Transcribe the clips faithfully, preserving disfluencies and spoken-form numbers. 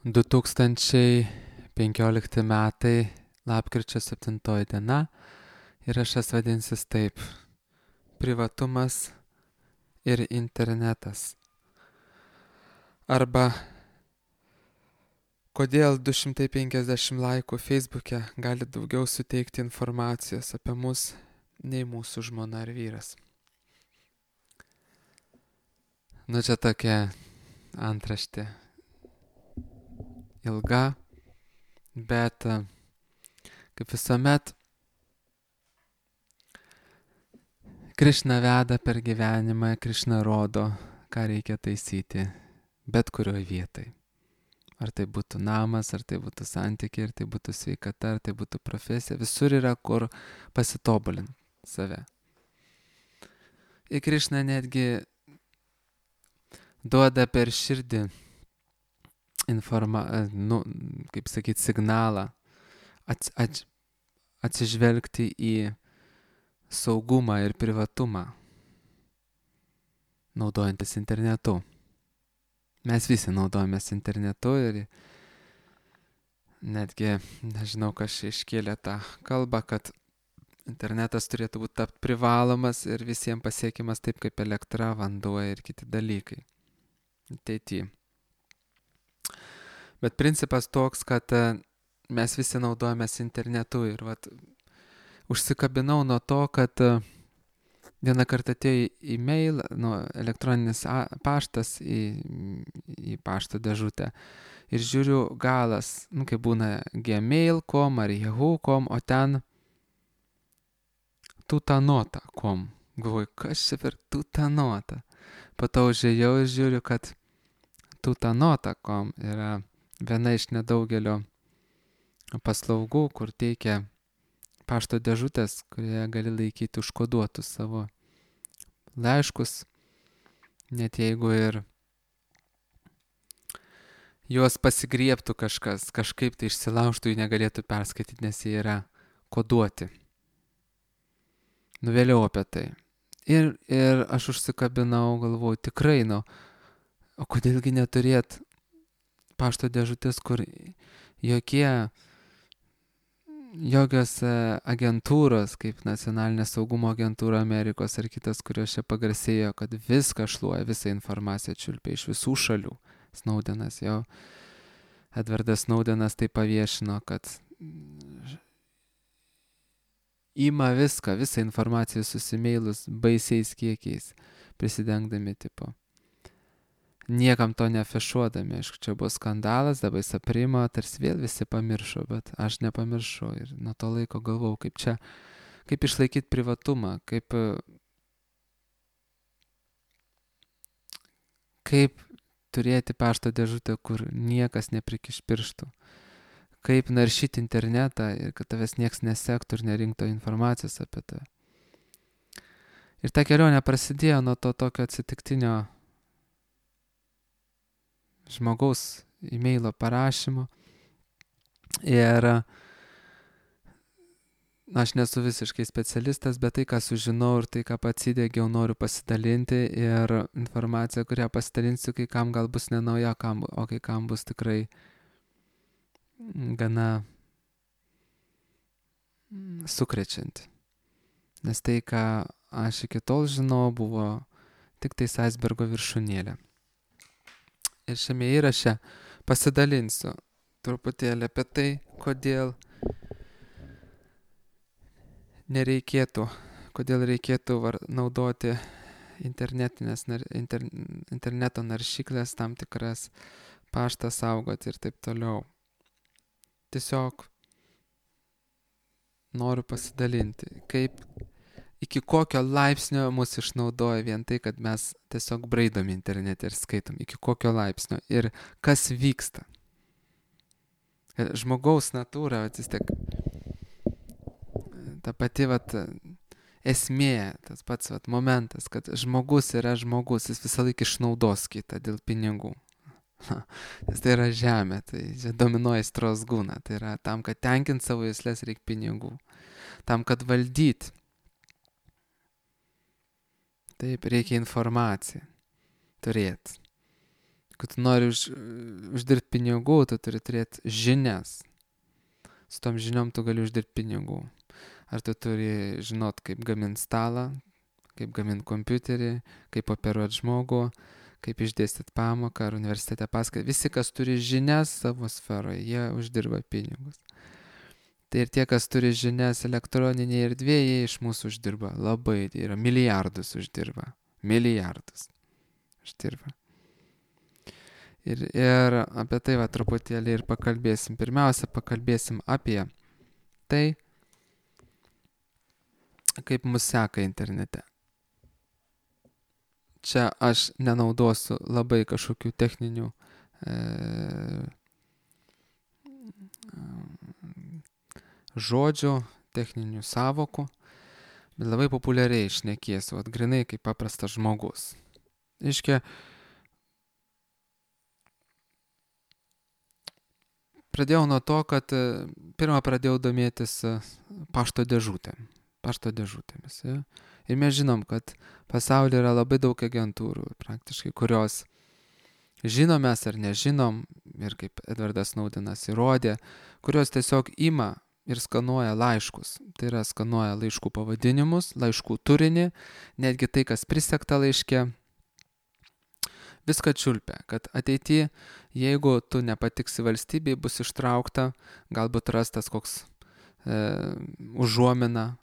du tūkstančiai penkiolikti metai, lapkričio septintoji diena ir aš jas vadinsis taip: privatumas ir internetas. Arba kodėl du šimtai penkiasdešimt laikų Facebook'e gali daugiau suteikti informacijos apie mus nei mūsų žmona ar vyras. Nu čia tokia antraštė ilga, bet kaip visuomet Krišna veda per gyvenimą, Krišna rodo, ką reikia taisyti bet kurioje vietoje. Ar tai būtų namas, ar tai būtų santykiai, ar tai būtų sveikata, ar tai būtų profesija, visur yra kur pasitobulinti save. Ir Krišna netgi duoda per širdį informa, nu, kaip sakyti, signalą ats, ats, atsižvelgti į saugumą ir privatumą, naudojantis internetu. Mes visi naudojamės internetu ir netgi, nežinau, kas iškėlė tą kalbą, kad internetas turėtų būti tapt privalomas ir visiems pasiekiamas taip kaip elektra, vanduo ir kiti dalykai. Ateityje. Bet principas toks, kad mes visi naudojamės internetu ir vat, užsikabinau nuo to, kad vieną kartą atėjo į mail, nu, elektroninis paštas į, į pašto dėžutę ir žiūriu galas, nu, kaip būna gmail taškas com ar yahoo taškas com, o ten tutanota taškas com. Galvoju, kas čia per tutanota? Po to užėjau ir žiūriu, kad tutanota taškas com yra viena iš nedaugelio paslaugų, kur teikia pašto dėžutės, kurioje gali laikyti užkoduotus savo laiškus, net jeigu ir juos pasigriebtų kažkas, kažkaip tai išsilaužtų, jų negalėtų perskaityti, nes jie yra koduoti. Nu vėliau apie tai. Ir, ir aš užsikabinau, galvoju, tikrai, nu, o kodėlgi neturėt pašto dėžutės, kur jokie jokios agentūros, kaip Nacionalinė saugumo agentūra Amerikos ar kitas, kurios čia pagarsėjo, kad viską šluoja, visą informaciją čiulpia iš visų šalių. Snowdenas jau, Edvardas Snowdenas tai paviešino, kad ima viską, visą informaciją susimeilus baisiais kiekiais, prisidengdami tipo. Niekam to neafišuodami, aišku, čia buvo skandalas, dabar jis aprimo, tarsi vėl visi pamiršo, bet aš nepamiršau ir nuo to laiko galvau, kaip čia, kaip išlaikyti privatumą, kaip, kaip turėti pašto dėžutę, kur niekas neprikiš pirštų, kaip naršyti internetą ir kad tavęs nieks nesektų ir nerinktų informacijos apie tai. Ir ta kelionė prasidėjo nuo to tokio atsitiktinio žmogaus e-mailo parašymo ir aš nesu visiškai specialistas, bet tai, ką sužinau ir tai, ką pats įdėgiau, noriu pasidalinti ir informacija, kurią pasidalinsiu, kai kam gal bus nenauja, o kai kam bus tikrai gana sukrečianti. Nes tai, ką aš iki tol žinau, buvo tik tais aisbergo viršūnėlė. Ir šiame įraše pasidalinsiu truputėlį apie tai, kodėl nereikėtų, kodėl reikėtų var, naudoti internetinės, inter, interneto naršyklės, tam tikras paštą saugoti ir taip toliau. Tiesiog noriu pasidalinti, kaip iki kokio laipsnio mus išnaudoja vien tai, kad mes tiesiog braidom internete ir skaitom, iki kokio laipsnio ir kas vyksta. Žmogaus natūra, vat, vis tiek, ta pati vat, esmė, tas pats vat, momentas, kad žmogus yra žmogus, jis visą laiką išnaudos kitą dėl pinigų. Nes tai yra žemė, tai čia dominuoja aistros guna, tai yra tam, kad tenkint savo juslės reikia pinigų, tam, kad valdyti. Taip, reikia informaciją turėti. kad tu nori už, uždirbti pinigų, tu turi turėti žinias. Su tom žiniom tu gali uždirbti pinigų. Ar tu turi žinot, kaip gaminti stalą, kaip gaminti kompiuterį, kaip operuoti žmogų, kaip išdėstyti pamoką ar universitete paskaitą. Visi, kas turi žinias savo sferoje, jie uždirba pinigus. Tai ir tie, kas turi žinias elektroninėje erdvėje, jie iš mūsų uždirba labai, tai yra milijardus uždirba. Milijardus uždirba. Ir, ir apie tai va truputėlį ir pakalbėsim. Pirmiausia, pakalbėsim apie tai, kaip mus seka internete. Čia aš nenaudosiu labai kažkokių techninių e, žodžių, techninių savokų, bet labai populiariai šnekėsiu, vat grinai kaip paprastas žmogus. Iškia, pradėjau nuo to, kad pirmą pradėjau domėtis pašto dėžutėm, pašto dėžutėmis. Ja? Ir mes žinom, kad pasaulyje yra labai daug agentūrų, praktiškai, kurios žinom mes ar nežinom, ir kaip Edvardas Snowdenas įrodė, kurios tiesiog ima ir skanuoja laiškus. Tai yra skanuoja laiškų pavadinimus, laiškų turinį, netgi tai, kas prisegta laiške, viską čiulpia, kad ateityje, jeigu tu nepatiksi valstybei, bus ištraukta, galbūt rastas koks e, užuomina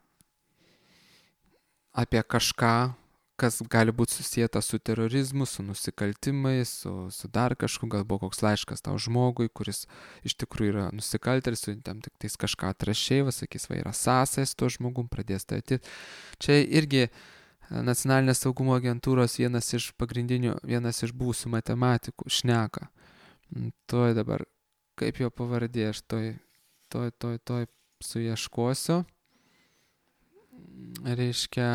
apie kažką, kas gali būti susijęta su terorizmu, su nusikaltimais, su, su dar kažku, galbūt koks laiškas tau žmogui, kuris iš tikrųjų yra nusikaltėlis, su tam tik tais kažką atrašiai, va, sakys, va, yra sąsajas su tuo žmogum, pradės tai ateit. Čia irgi Nacionalinės saugumo agentūros vienas iš pagrindinių, vienas iš būsių matematikų šneka. Toj dabar, kaip jo pavardė, aš toj, toj, toj, toj suieškosiu. Reiškia,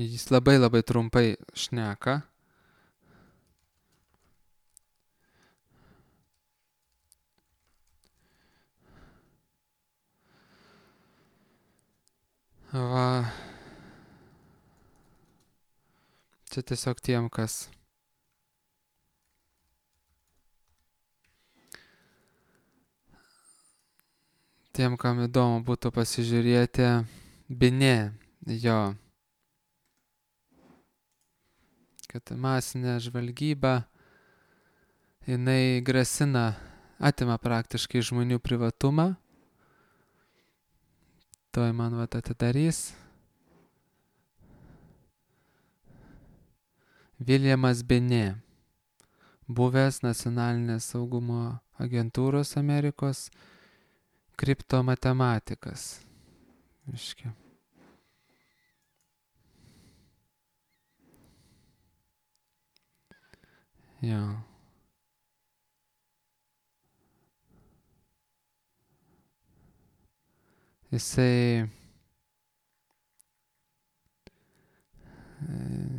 jis labai labai trumpai šneka. Va. Čia tiesiog tiem, kas tiem, kam įdomu būtų pasižiūrėti, Binė, jo, kad masinė žvalgyba, jinai grasina, atima praktiškai žmonių privatumą. Toj man vat atidarys. Viljamas Binė, buvęs Nacionalinės saugumo agentūros Amerikos kriptomatematikas. Iškia. Jo. Jisai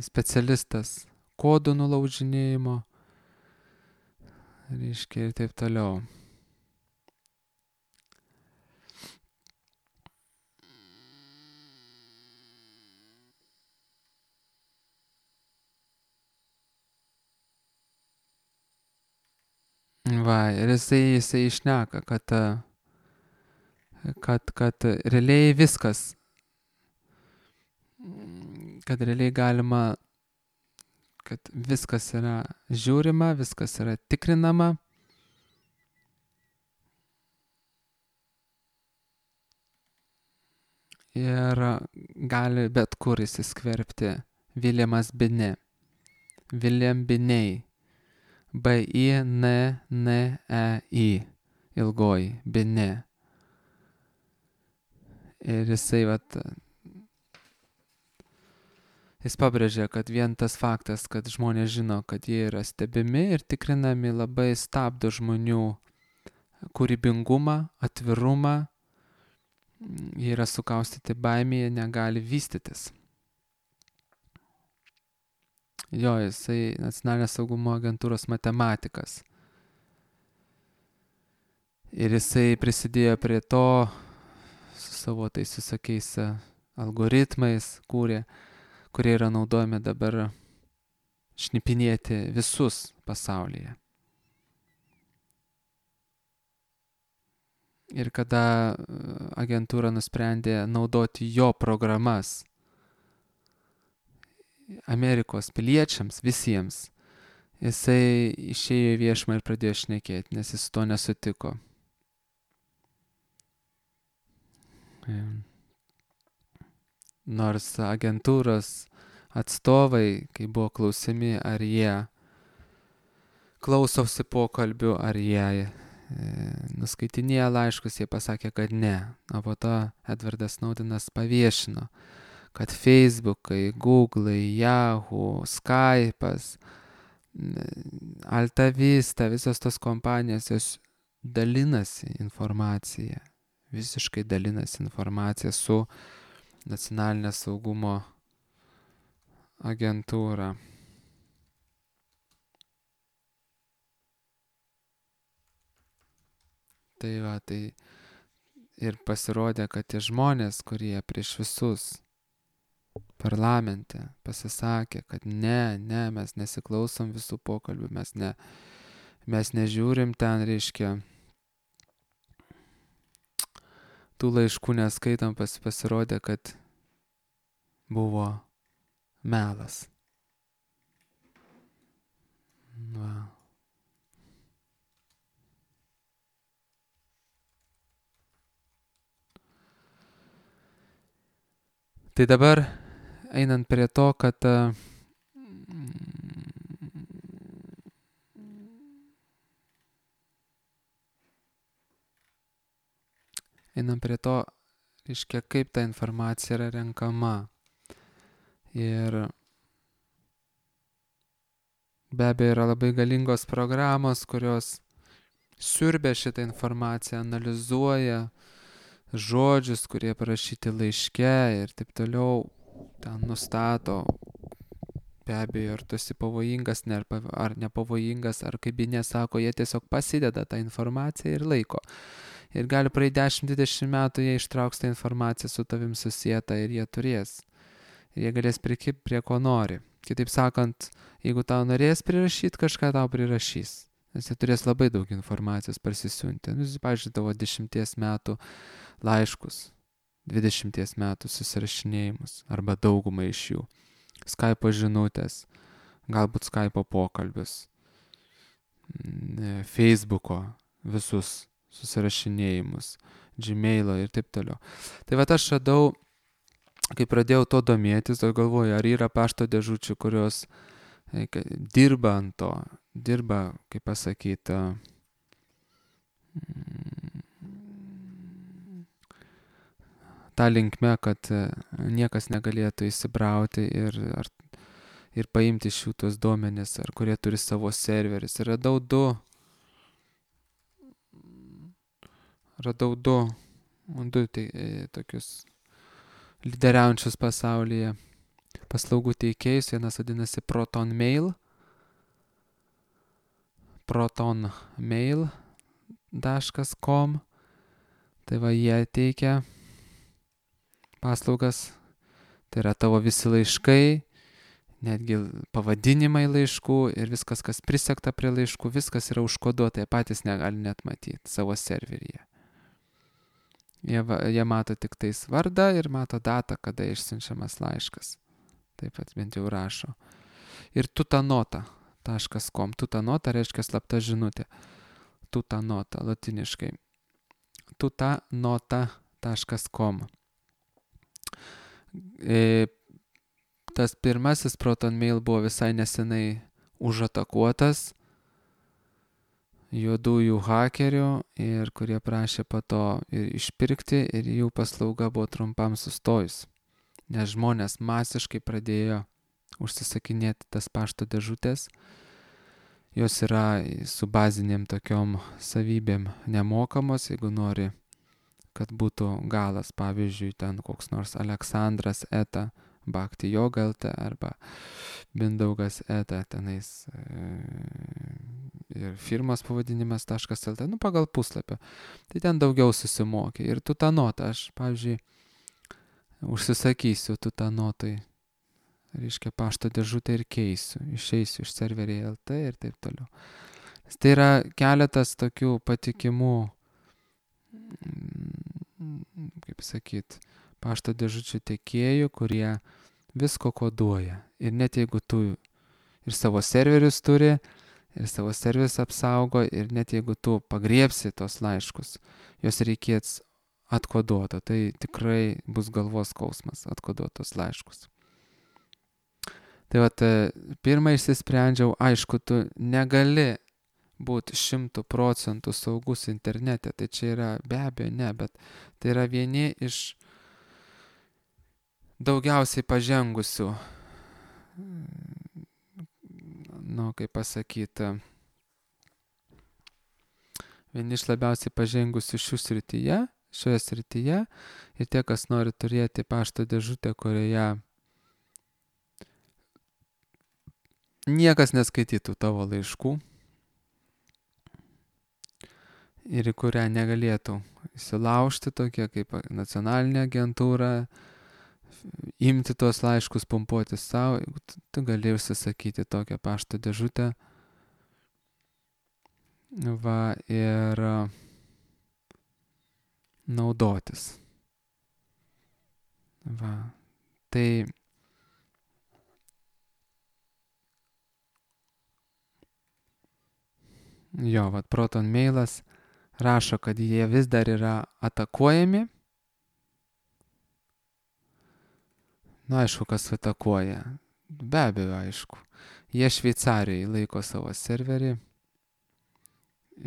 specialistas kodų nulaužinėjimo, reiškia, ir taip toliau. Va, ir jisai, jisai išneka, kad, kad, kad realiai viskas, kad realiai galima, kad viskas yra žiūrima, viskas yra tikrinama. Ir gali bet kur įsiskverbti Viljamas Binė. Viljam Binei. B I N N E I. Ilgoji. Binė. Ir jisai, vat, jis pabrėžia, kad vien tas faktas, kad žmonės žino, kad jie yra stebimi ir tikrinami, labai stabdo žmonių kūrybingumą, atvirumą. Jie yra sukaustyti baimėje, negali vystytis. Jo, jisai Nacionalinės saugumo agentūros matematikas. Ir jisai prisidėjo prie to su savo tais visokiais algoritmais, kūrė, kurie yra naudojami dabar šnipinėti visus pasaulyje. Ir kada agentūra nusprendė naudoti jo programas Amerikos piliečiams, visiems, jisai išėjo į viešumą ir pradėjo šnekėti, nes jis to nesutiko. Nors agentūros atstovai, kai buvo klausiami, ar jie klausosi pokalbių, ar jie e, nuskaitinėja laiškus, jie pasakė, kad ne. O po to Edvardas Snowdenas paviešino, kad Facebookai, Google'ai, Yahoo, Skype'as, Alta Vista, visos tos kompanijos, jos dalinasi informaciją, visiškai dalinasi informaciją su nacionalinė saugumo agentūra. Tai va, tai ir pasirodė, kad tie žmonės, kurie prieš visus parlamente pasisakė, kad ne, ne, mes nesiklausom visų pokalbių, mes, ne, mes nežiūrim ten, reiškia, tų laiškų neskaitom, pas, pasirodė, kad buvo melas. Va. Tai dabar einant prie to, kad einant prie to, reiškia, kaip ta informacija yra renkama. Ir be abejo yra labai galingos programos, kurios siurbia šitą informaciją, analizuoja žodžius, kurie parašyti laiške ir taip toliau, ten nustato, be abejo, ar tu esi pavojingas ne, ar nepavojingas, ar kaip jie sako, jie tiesiog pasideda tą informaciją ir laiko. Ir gali praeiti dešimt dvidešimt metų, jie ištrauks tą informaciją su tavim susietą ir jie turės. Ir jie galės prikibti prie ko nori. Kitaip sakant, jeigu tau norės prirašyti, kažką tau prirašys. Nes jie turės labai daug informacijos parsisiunti. Nu, pavyzdžiui, tavo dešimties metų laiškus, dvidešimties metų susirašinėjimus, arba daugumą iš jų. Skype'o žinutės, galbūt Skype'o pokalbius, Facebook'o visus susirašinėjimus, Gmail'o ir taip toliau. Tai va aš radau, kai pradėjau to domėtis, tai galvoju, ar yra pašto dėžučių, kurios dirba ant to, dirba, kaip pasakyti, tą linkme, kad niekas negalėtų įsibrauti ir, ar, ir paimti iš jų tos duomenis, ar kurie turi savo serverius. Ir radau du, radau du, du tai, tokius lyderiaujančius pasaulyje paslaugų teikėjus. Vienas vadinasi ProtonMail, protonmail taškas com. Tai va, jie teikia paslaugas, tai yra tavo visi laiškai, netgi pavadinimai laiškų ir viskas, kas prisekta prie laiškų, viskas yra užkoduota, jie patys negali net matyti savo serveryje. Jie, jie mato tik tais vardą ir mato datą, kada išsiunčiamas laiškas. Taip pat bent jau rašo. Ir tutanota taškas com. Tutanota reiškia slapta žinutė. Tutanota, latiniškai. tutanota taškas com. E, tas pirmasis ProtonMail buvo visai nesenai užatakuotas juodųjų hakerių, ir kurie prašė po to ir išpirkti, ir jų paslauga buvo trumpam sustojus, nes žmonės masiškai pradėjo užsisakinėti tas pašto dėžutės. Jos yra su baziniam tokiom savybėm nemokamos, jeigu nori, kad būtų galas, pavyzdžiui, ten koks nors Aleksandras eta Bhakti Yoga lt arba Mindaugas eta tenais e, ir firmos pavadinimas .lt, nu pagal puslapio. Tai ten daugiau susimokė. Ir tutanota, aš, pavyzdžiui, užsisakysiu tutanotui reiškia pašto dėžutę ir keisiu, išeisiu iš serveriai L T ir taip toliau. Tai yra keletas tokių patikimų, kaip sakyt, pašto dėžučių tiekėjų, kurie visko koduoja. Ir net jeigu tu ir savo serverius turi, ir savo serverius apsaugo, ir net jeigu tu pagriebsi tos laiškus, juos reikės atkoduoto. Tai tikrai bus galvos skausmas atkoduotos laiškus. Tai vat, pirmą išsisprendžiau, aišku, tu negali būti šimtų procentų saugus internete. Tai čia yra be abejo ne, bet tai yra vieni iš daugiausiai pažengusių, nu, kaip pasakyti, vieni iš labiausiai pažengusių šių srityje, šioje srityje. Ir tie, kas nori turėti pašto dėžutę, kurioje niekas neskaitytų tavo laiškų ir į kurią negalėtų įsilaužti tokie kaip nacionalinė agentūra, imti tos laiškus, pumpuoti savo, tu, tu gali užsisakyti tokią pašto dėžutę. Va, ir naudotis. Va, tai jo, vat Proton Mailas rašo, kad jie vis dar yra atakuojami. Nu, aišku, kas atakuoja. Be abejo, aišku. Jie Šveicarijoje laiko savo serverį.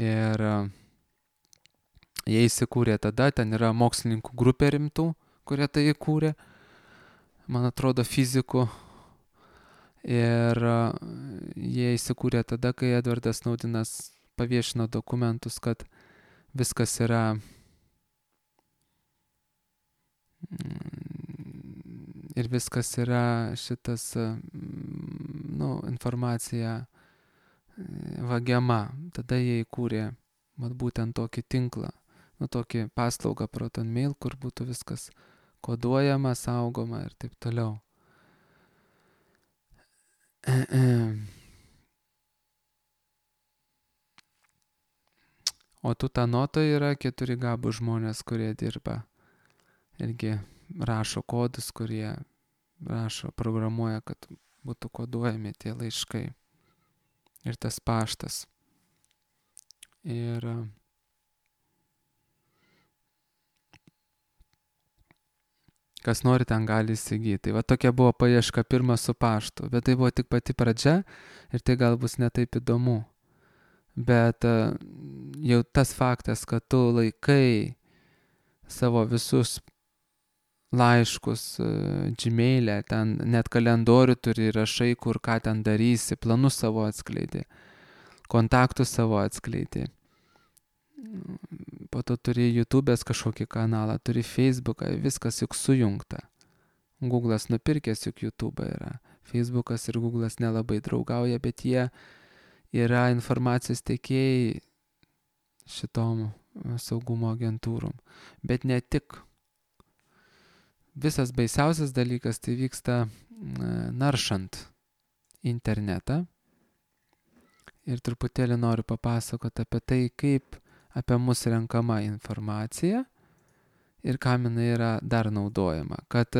Ir jie įsikūrė tada, ten yra mokslininkų grupė rimtų, kurie tai įkūrė. Man atrodo, fizikų. Ir jie įsikūrė tada, kai Edvardas Snowdenas paviešino dokumentus, kad viskas yra ir viskas yra šitas, nu, informacija vagiama. Tada jie įkūrė mat, būtent tokį tinklą, nu, tokį paslaugą Proton Mail, kur būtų viskas koduojama, saugoma ir taip toliau. O Tutanotoje yra keturi gabūs žmonės, kurie dirba. Irgi rašo kodus, kurie rašo, programuoja, kad būtų koduojami tie laiškai. Ir tas paštas. Ir kas nori, ten gali įsigyti. Tai va tokia buvo paieška pirma su paštu. Bet tai buvo tik pati pradžia ir tai gal bus netaip įdomu. Bet jau tas faktas, kad tu laikai savo visus laiškus Gmail'e, ten net kalendorių turi, rašai, kur ką ten darysi, planus savo atskleidi, kontaktus savo atskleidi. Po to turi YouTube'ės kažkokį kanalą, turi Facebooką, viskas juk sujungta. Google'as nupirkęs juk YouTube'ą yra. Facebookas ir Google'as nelabai draugauja, bet jie yra informacijos tiekėjai šitom saugumo agentūrom. Bet ne tik. Visas baisiausias dalykas tai vyksta naršant internetą. Ir truputėlį noriu papasakoti apie tai, kaip apie mus renkama informacija ir kam jinai yra dar naudojama. Kad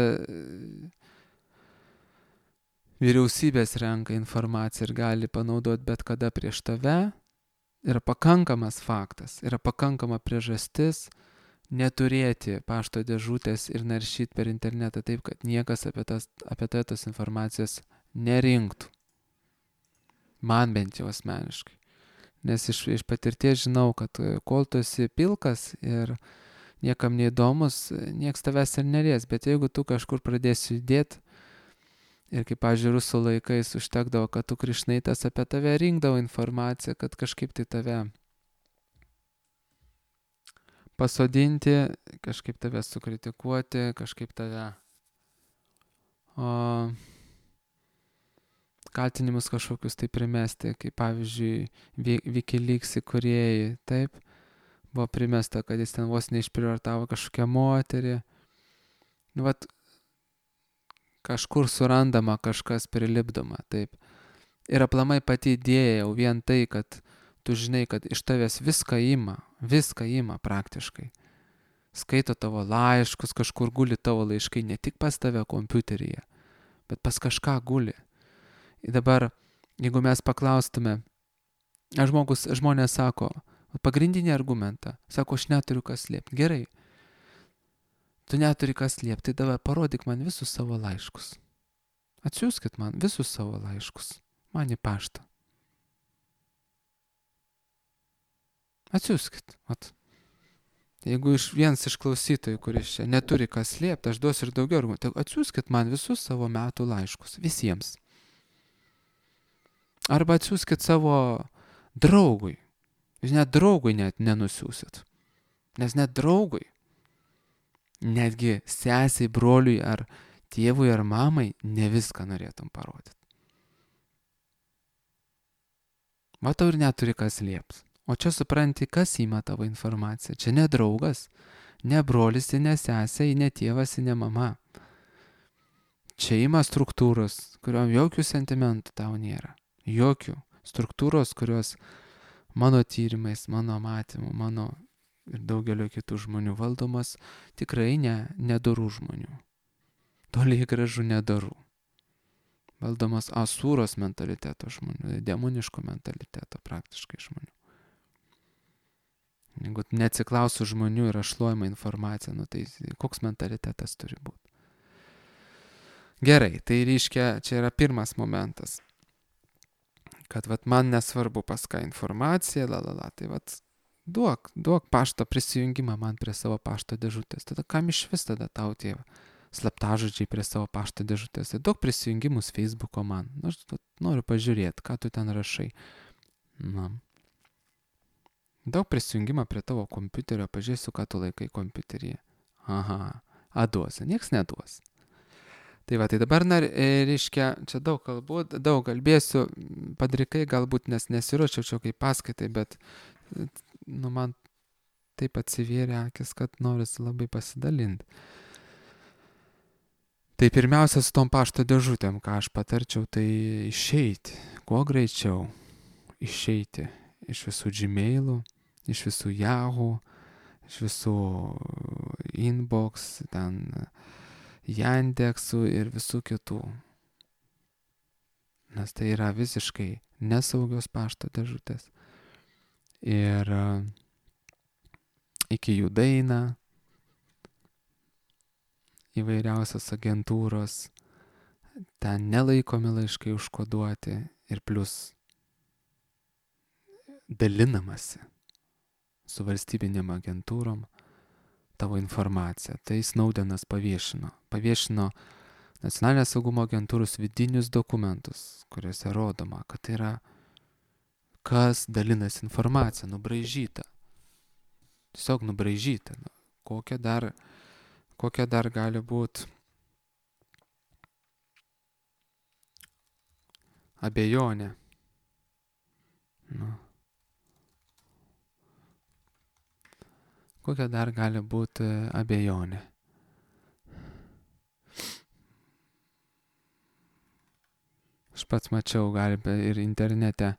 vyriausybės renka informaciją ir gali panaudoti bet kada prieš tave, yra pakankamas faktas, yra pakankama priežastis neturėti pašto dėžutės ir naršyti per internetą taip, kad niekas apie, tas, apie tai tos informacijos nerinktų. Man bent jau asmeniškai. Nes iš, iš patirties žinau, kad kol tu esi pilkas ir niekam neįdomus, nieks tavęs ir nelies. Bet jeigu tu kažkur pradėsi judėti, ir kaip, pavyzdžiui, rusų laikais užtekdavo, kad tu Krišnaitas apie tave rinkdavo informaciją, kad kažkaip tai tave pasodinti, kažkaip tave sukritikuoti, kažkaip tave o, kaltinimus kažkokius tai primesti, kaip pavyzdžiui Wikileaks įkūrėjai, taip, buvo primesta, kad jis ten vos neišprievartavo kažkokią moterį. Vat, kažkur surandama, kažkas prilipdoma, taip. Ir aplamai pati idėja jau vien tai, kad tu žinai, kad iš tavęs viską ima, viską ima praktiškai. Skaito tavo laiškus, kažkur guli tavo laiškai, ne tik pas tave kompiuteryje, bet pas kažką guli. Ir dabar, jeigu mes paklaustume, žmogus, žmonės sako, pagrindinį argumentą, sako, aš neturiu kas slėpti. Gerai, tu neturi kas slėpti, tai dabar parodyk man visus savo laiškus. Atsiųskit man visus savo laiškus, man į paštą. Atsiųskit, vat. Jeigu iš vienas iš klausytojų, kuris čia neturi kas slėpti, aš duosiu ir daugiau argumentų, tai atsiųskit man visus savo metų laiškus, visiems. Arba atsiųskit savo draugui. Jūs net draugui net nenusiųsit. Nes net draugui, netgi sesiai, broliui ar tėvui ar mamai, ne viską norėtum parodyti. Matau ir neturi kas slėpti. O čia supranti, kas ima tavo informaciją. Čia ne draugas, ne brolis, ne sesė, ne tėvas, ne mama. Čia ima struktūros, kuriuom jokių sentimentų tau nėra. Jokių struktūros, kurios mano tyrimais, mano matymu, mano ir daugelio kitų žmonių valdomas, tikrai ne nedorų žmonių. Toliai gražu nedorų. Valdomas asūros mentaliteto žmonių, demoniško mentaliteto praktiškai žmonių. Jeigu neatsiklausiu žmonių ir ašluojama informacija, nu tai koks mentalitetas turi būti. Gerai, tai reiškia, čia yra pirmas momentas. Kad vat man nesvarbu pas ką informacija, la la la, tai vat duok, duok pašto prisijungimą man prie savo pašto dėžutės. Tada kam iš vis tada tau tie slaptažodžiai prie savo pašto dėžutės? Tai duok prisijungimus Facebooko man. Aš noriu pažiūrėti, ką tu ten rašai. Na. Daug prisijungimą prie tavo kompiuterio, pažiūrėsiu, ką tu laikai kompiuteryje. Aha, aduosi, nieks neduos. Tai va, tai dabar, na, reiškia, čia daug kalbų, daug kalbėsiu, padrikai galbūt, nes nesiruošiau čia kaip paskaitai, bet, nu, man taip atsivėrė akis, kad norisi labai pasidalinti. Tai pirmiausia, su tom pašto dėžutėm, ką aš patarčiau, tai išeiti, kuo greičiau išeiti iš visų Gmailų, iš visų Yahoo, iš visų Inbox, ten Yandeksų ir visų kitų. Nes tai yra visiškai nesaugios pašto dėžutės. Ir iki jų daina įvairiausios agentūros, ten nelaikomi laiškai užkoduoti ir plus dalinamasi su valstybinėm agentūrom tavo informaciją. Tai Snowdenas paviešino. Paviešino Nacionalinės saugumo agentūros vidinius dokumentus, kuriuose rodoma, kad tai yra kas dalinasi informacija, nubraižyta. Tiesiog nubraižyta. Kokia dar, kokia dar gali būti abejonė. Nu. Kokia dar gali būti abejonė? Aš pats mačiau, galime ir internete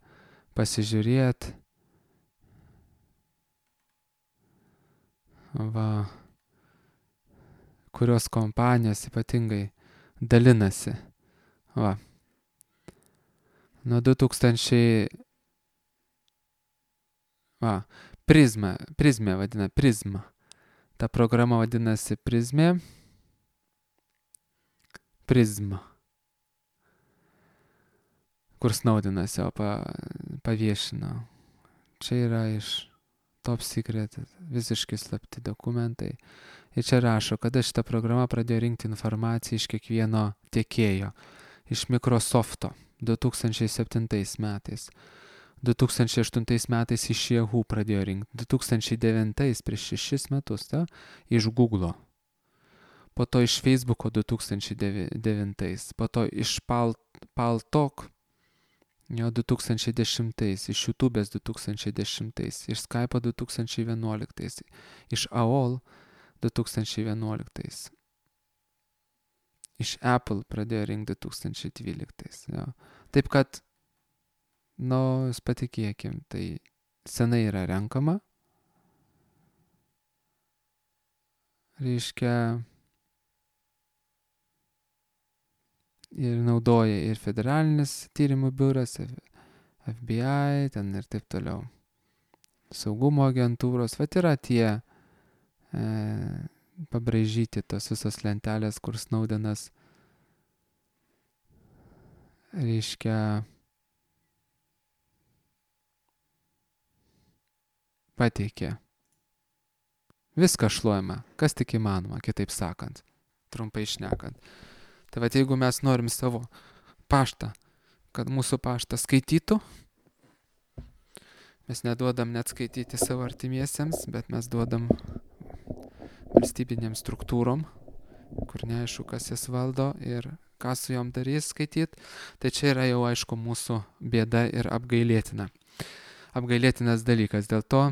pasižiūrėti. Va, kurios kompanijos ypatingai dalinasi. Va. Nuo du tūkstančiai... Va. Prizma, Prizmė vadina, Prizma. Ta programa vadinasi Prizmė. Prizma. Kur Snowdenas jau pa, paviešino. Čia yra iš Top Secret visiškai slapti dokumentai. Ir čia rašo, kada šita programa pradėjo rinkti informaciją iš kiekvieno tiekėjo. Iš Microsofto du tūkstančiai septintais metais. du tūkstančiai aštuntais metais iš Yahoo pradėjo rinkti, du tūkstančiai devintais prieš šešis metus, ta, iš Google, po to iš Facebooko du tūkstančiai devintais, po to iš Pal, Paltalk jo du tūkstančiai dešimtais, iš YouTube'ės du tūkstančiai dešimtais, iš Skype'o du tūkstančiai vienuoliktais, iš A O L du tūkstančiai vienuoliktais. iš Apple pradėjo rinkti du tūkstančiai dvyliktais. Jo. Taip kad, nu, patikėkim, tai senai yra renkama. Reiškia, ir naudoja ir federalinis tyrimų biuras, F B I, ten ir taip toliau. Saugumo agentūros, vat yra tie e, pabraižyti tos visos lentelės, kur Snowdenas reiškia pateikė. Viską šluojama, kas tik įmanoma, kitaip sakant, trumpai šnekant. Tai vat jeigu mes norim savo paštą, kad mūsų paštą skaitytų, mes neduodam net skaityti savo artimiesiems, bet mes duodam valstybinėm struktūrom, kur neaišku, kas jas valdo ir ką su jom darys skaityti. Tai čia yra jau aišku mūsų bėda ir apgailėtina. Apgailėtinas dalykas. Dėl to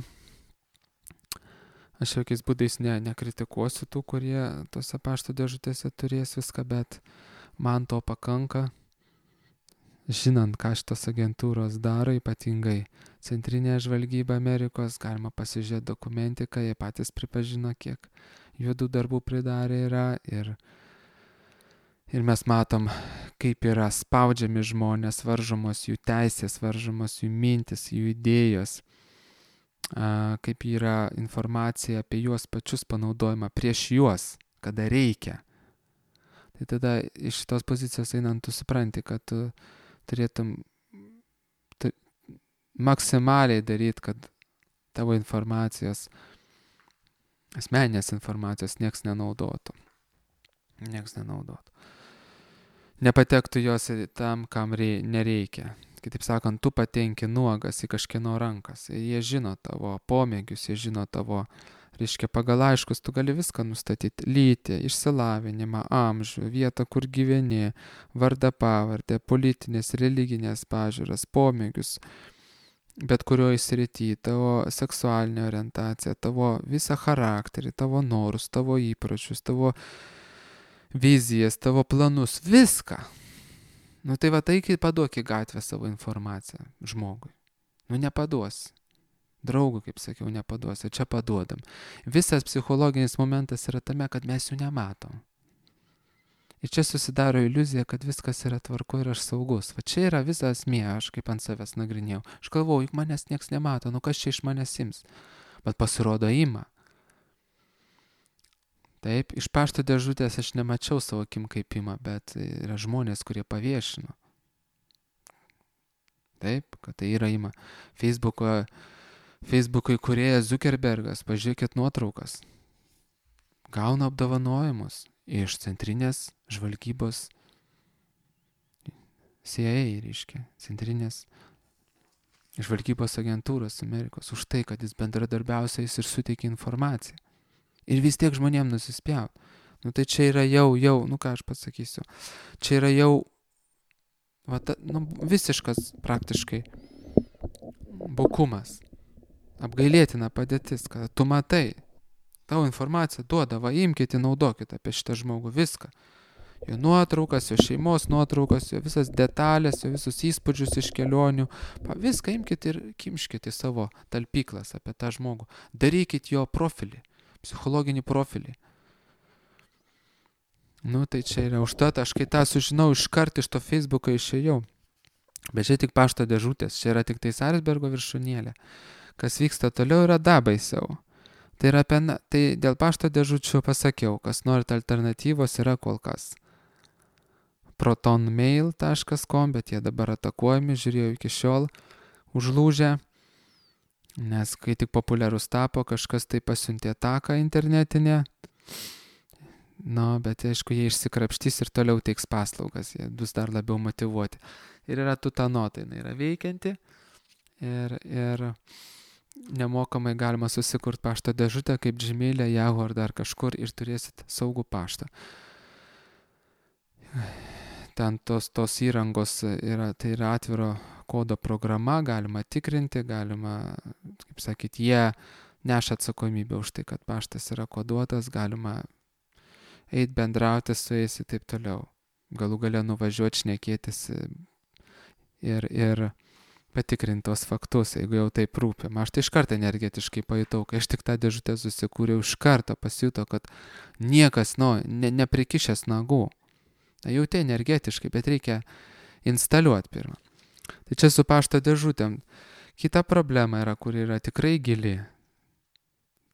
aš jokiais būdais ne, nekritikuosiu tų, kurie tose pašto dėžutėse turės viską, bet man to pakanka. Žinant, ką šitos agentūros daro, ypatingai Centrinė žvalgyba Amerikos, galima pasižiūrėti dokumentiką, jie patys pripažino, kiek juodų darbų pridarė yra ir, ir mes matom, kaip yra spaudžiami žmonės, varžomos jų teisės, varžomos jų mintis, jų idėjos, a, kaip yra informacija apie juos pačius panaudojama prieš juos, kada reikia. Tai tada iš šitos pozicijos einant, tu supranti, kad tu turėtum tu, maksimaliai daryti, kad tavo informacijos, asmeninės informacijos nieks nenaudotų. Nieks nenaudotų. Nepatektų jos tam, kam rei, nereikia. Kitaip sakant, tu patenki nuogas į kažkieno rankas. Jie žino tavo pomėgius, jie žino tavo, reiškia, pagal aiškus, tu gali viską nustatyti. Lytį, išsilavinimą, amžių, vietą, kur gyveni, vardą, pavardę, politinės, religinės pažiūras, pomėgius, bet kurioje srity, tavo seksualinė orientacija, tavo visą charakterį, tavo norus, tavo įpročius, tavo vizijas, tavo planus, viską. Nu tai va, taigi paduok į gatvę savo informaciją žmogui. Nu nepaduosi. Draugų, kaip sakiau, nepaduosi, čia paduodam. Visas psichologinis momentas yra tame, kad mes jų nematom. Ir čia susidaro iliuzija, kad viskas yra tvarko ir aš saugus. Va čia yra visa esmė, aš kaip ant savęs nagrinėjau. Aš galvoju, juk manęs nieks nemato, nu kas čia iš manęs ims? Bet pasirodo ima. Taip, iš pašto dėžutės aš nemačiau savo akim kaip ima, bet yra žmonės, kurie paviešino. Taip, kad tai yra ima. Facebooko Facebook'o įkūrėjas Zuckerbergas, pažiūrėkit nuotraukas, gauna apdovanojimus iš Centrinės žvalgybos C I A, reiškia, Centrinės žvalgybos agentūros Amerikos, už tai, kad jis bendradarbiausiais ir suteikia informaciją. Ir vis tiek žmonėm nusispjaut. Nu tai čia yra jau, jau, nu ką aš pasakysiu, čia yra jau va, ta, nu, visiškas praktiškai bukumas. Apgailėtina padėtis, kad tu matai, tavo informaciją duoda, va imkite, naudokite apie šitą žmogų viską. Jo nuotraukas, jo šeimos nuotraukas, jo visas detalės, jo visus įspūdžius iš kelionių. Pa, viską imkite ir kimškite į savo talpyklas apie tą žmogų. Darykit jo profilį, psichologinį profilį. Nu tai čia yra užtat, aš kai tą sužinau, iškart iš to Facebooko išėjau. Bet čia tik pašto dėžutės, čia yra tik tai Sarsbergo viršūnėlė. Kas vyksta toliau yra dar baisiau. Tai, yra apie, tai dėl pašto dėžučių pasakiau, kas norit alternatyvos yra kol kas. proton mail taškas com, bet jie dabar atakuojami, žiūrėjau iki šiol, užlūžę, nes kai tik populiarus tapo, kažkas tai pasiuntė ataką internetinę. Nu, bet aišku, jie išsikrapštys ir toliau teiks paslaugas, jie bus dar labiau motyvuoti. Ir yra tutanota, jinai yra veikianti ir, ir nemokamai galima susikurti pašto dėžutę kaip Gmail'e, Yahoo ar dar kažkur ir turėsit saugų paštą. Ten tos, tos įrangos yra, tai yra atviro kodo programa, galima tikrinti, galima, kaip sakyti, jie neša atsakomybę už tai, kad paštas yra koduotas, galima eit bendrauti su jais ir taip toliau. Galų gale nuvažiuoti, šnekėtis ir, ir patikrinti tos faktus, jeigu jau taip rūpi. Aš tai iš karto energetiškai pajutau, kai aš tik tą dėžutę susikūriau, iš karto pasijuto, kad niekas, nu, ne, neprikišęs nagų. Jauti energetiškai, bet reikia instaliuoti pirmą. Tai čia su pašto dėžutėm. Kita problema yra, kur yra tikrai gili.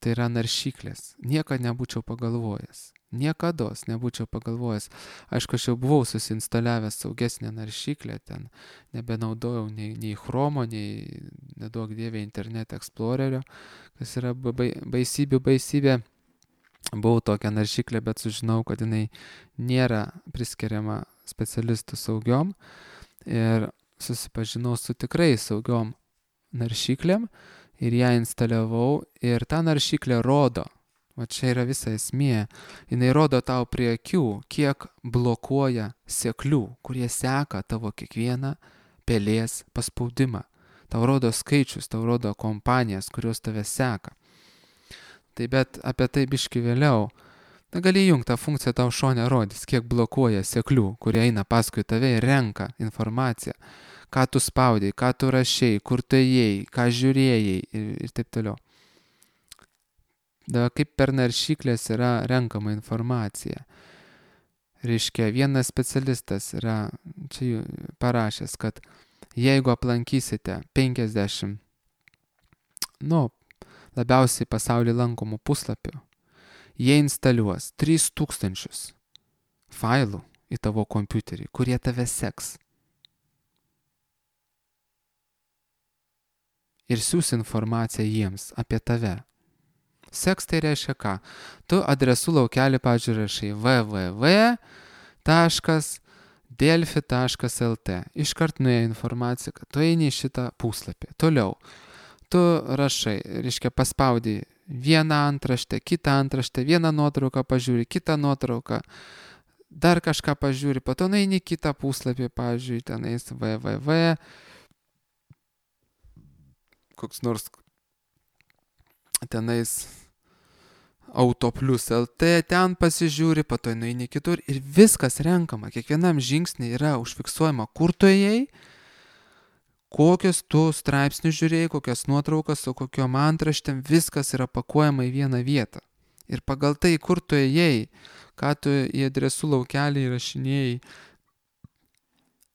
Tai yra naršyklės. Niekada nebūčiau pagalvojęs. Niekados nebūčiau pagalvojęs. Aišku, aš jau buvau susinstaliavęs saugesnę naršyklę, ten nebenaudojau nei, nei Chromo, nei, neduok dievė, Internet Explorerio, kas yra baisybių baisybė. Buvau tokią naršyklę, bet sužinau, kad jinai nėra priskiriama specialistų saugiom ir susipažinau su tikrai saugiom naršyklėm ir ją instaliavau ir ta naršyklė rodo, o čia yra visa esmė, jinai rodo tau prie akių, kiek blokuoja seklių, kurie seka tavo kiekvieną pelės paspaudimą. Tau rodo skaičius, tau rodo kompanijas, kurios tave seka. Tai bet apie tai biški vėliau. Na, gali įjungti tą funkciją, tau šone rodys, kiek blokuoja seklių, kurie eina paskui tave ir renka informaciją. Ką tu spaudai, ką tu rašei, kur tu ėjai, ką žiūrėjai ir, ir taip toliau. Da, kaip per naršyklės yra renkama informacija. Reiškia, vienas specialistas yra čia parašęs, kad jeigu aplankysite penkiasdešimt, nu, labiausiai pasaulyje lankomų puslapių, jie instaliuos tris tūkstančius failų į tavo kompiuterį, kurie tave seks. Ir siūs informaciją jiems apie tave. Seks tai reiškia ką? Tu adresų laukelį, pavyzdžiui, rašai w w w taškas delfi taškas l t. Iškart nuėjo informacija, kad tu eini į šitą puslapį. Toliau. Tu rašai, reiškia, paspaudai vieną antraštę, kitą antraštę, vieną nuotrauką pažiūri, kitą nuotrauką, dar kažką pažiūri, po to nueini kitą puslapį, pavyzdžiui, tenais w w w, koks nors tenais autoplius lt, ten pasižiūri, po to nueini kitur ir viskas renkama, kiekvienam žingsnį yra užfiksuojama, kur tu ėjai, kokius tu straipsnius žiūrėjai, kokias nuotraukas, su kokiom antraštėm, viskas yra pakuojama į vieną vietą. Ir pagal tai, kur tu ėjai, ką tu į adresų laukelį įrašinėjai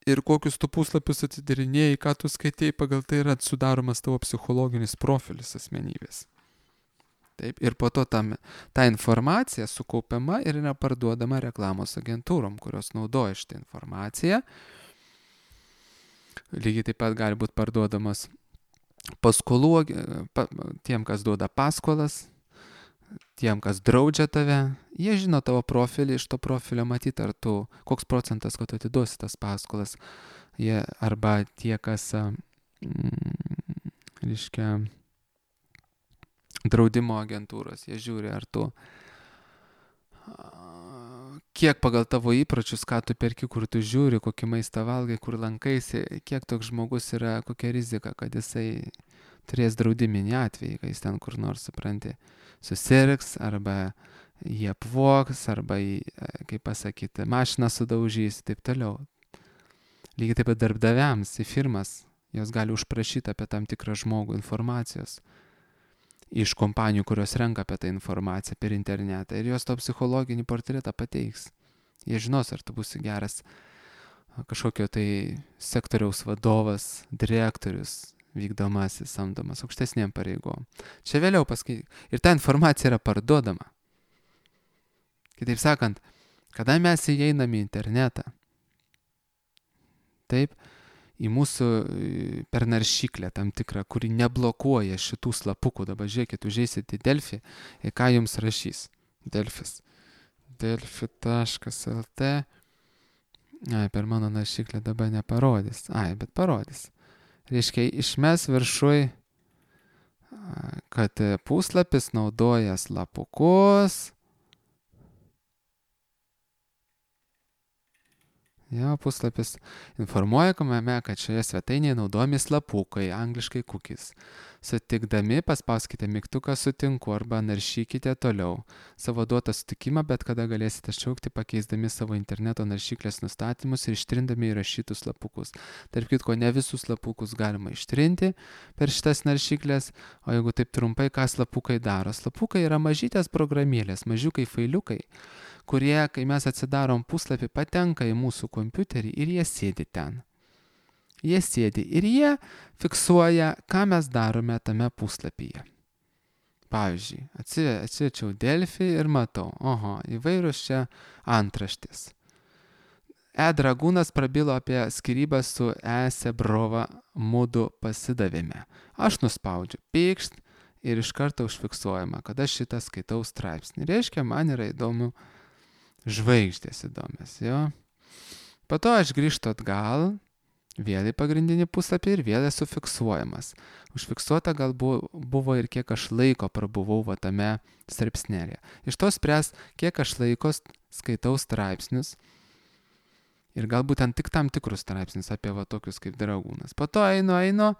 ir kokius tu puslapius atidarinėjai, ką tu skaitėjai, pagal tai yra sudaromas tavo psichologinis profilis asmenybės. Taip, ir po to tam, ta informacija sukaupiama ir yra parduodama reklamos agentūrom, kurios naudoja šitą informaciją. Lygiai taip pat gali būti parduodamas paskolų, pa, tiem, kas duoda paskolas, tiem, kas draudžia tave. Jie žino tavo profilį, iš to profilio matyti, ar tu, koks procentas, kad tu atiduosi tas paskolas. Jie, arba tie, kas, mm, reiškia, draudimo agentūros, jie žiūri, ar tu, kiek pagal tavo įpročius, ką tu perki, kur tu žiūri, kokį maistą valgai, kur lankaisi, kiek toks žmogus yra, kokia rizika, kad jisai turės draudiminį atvejį, kai jis ten kur nors, supranti, susirgs, arba jį apvoks, arba jį, kaip pasakyti, mašiną sudaužys, taip toliau. Lygiai taip pat darbdaviams į firmas, jos gali užprašyti apie tam tikrą žmogų informacijos iš kompanijų, kurios renka apie tą informaciją per internetą ir jos to psichologinį portretą pateiks. Jie žinos, ar tu būsi geras kažkokio tai sektoriaus vadovas, direktorius, vykdomasis, samdomas aukštesnėm pareigom. Čia vėliau paskui. Ir ta informacija yra parduodama. Kitaip sakant, kada mes įeiname į internetą, taip, į mūsų per naršyklę tam tikrą, kuri neblokuoja šitų slapukų. Dabar žiūrėkit, užeisit į Delfi ir ką jums rašys. Delfis. delfi taškas l t. Ai, per mano naršyklę dabar neparodys. Ai, bet parodys. Reiškia, išmes viršui, kad puslapis naudoja slapukus. Jo, puslapis informuoja, kad šioje svetainėje naudojami slapukai, angliškai cookies. Sutikdami paspauskite mygtuką sutinku arba naršykite toliau. Savo duotą sutikimą bet kada galėsite šaukti pakeisdami savo interneto naršyklės nustatymus ir ištrindami įrašytus slapukus. Tarp kitko, ne visus slapukus galima ištrinti per šitas naršyklės, o jeigu taip trumpai, ką slapukai daro? Slapukai yra mažytės programėlės, mažiukai failiukai, kurie, kai mes atsidarom puslapį, patenka į mūsų kompiuterį ir jie sėdi ten. Jie sėdi ir jie fiksuoja, ką mes darome tame puslapyje. Pavyzdžiui, atsiverčiau Delfi ir matau, oho, įvairūs čia antraštės. E. Dragūnas prabilo apie skyrybą su E. Sebrova, mudu pasidavėme. Aš nuspaudžiu pykšt ir iš karto užfiksuojama, kad aš šitą skaitau straipsnį. Reiškia, man yra įdomu, žvaigždės įdomios, jo. Po to aš grįžtu atgal, vėl į pagrindinį puslapį ir vėl esu fiksuojamas. Užfiksuota gal buvo ir kiek aš laiko prabuvau va tame straipsnelėje. Iš to spręs, kiek aš laiko skaitau straipsnius ir galbūt ten tik tam tikrus straipsnius apie va tokius kaip Dragūnas. Po to einu, einu,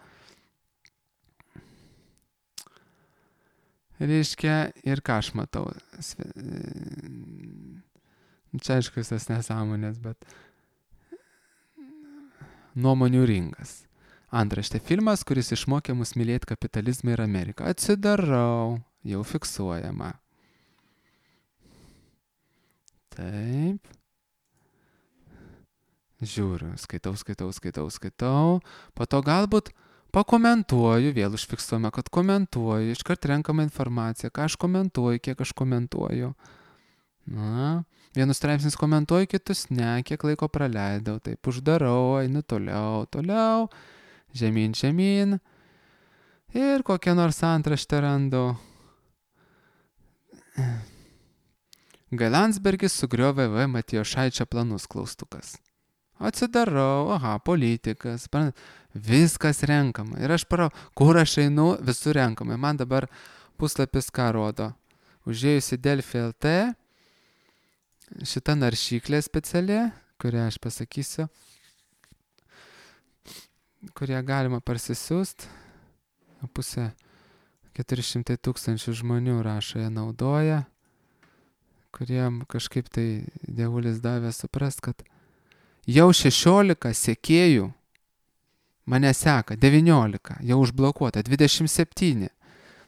reiškia, ir ką aš matau. Čia aišku visas nesąmonės, bet nuomonių ringas. Antraštė filmas, kuris išmokė mus mylėti kapitalizmą ir Ameriką. Atsidarau, jau fiksuojama. Taip. Žiūriu, skaitau, skaitau, skaitau, skaitau. Po to galbūt pakomentuoju, vėl užfiksuojama, kad komentuoju, iškart renkama informacija, ką aš komentuoju, kiek aš komentuoju. Na, vienus straipsnius komentuoju, kitus ne, kiek laiko praleidau, taip uždarau, einu toliau, toliau, žemyn, žemyn ir kokią nors antraštę randu. G. Landsbergis sugriovė V. Matijošaičio planus, klaustukas. Atsidarau, aha, politikas, viskas renkama. Ir aš parau, kur aš einu, visur renkama. Man dabar puslapis ką rodo. Užėjusi Delfi L T, šita naršyklė speciali, kurią aš pasakysiu, kurią galima parsisiųst. Pusė keturi šimtai tūkstančių žmonių rašo, ją naudoja, kuriem kažkaip tai dievulis davė suprast, kad jau šešiolika sekėjų mane seka, devyniolika, jau užblokuota, dvidešimt septyni.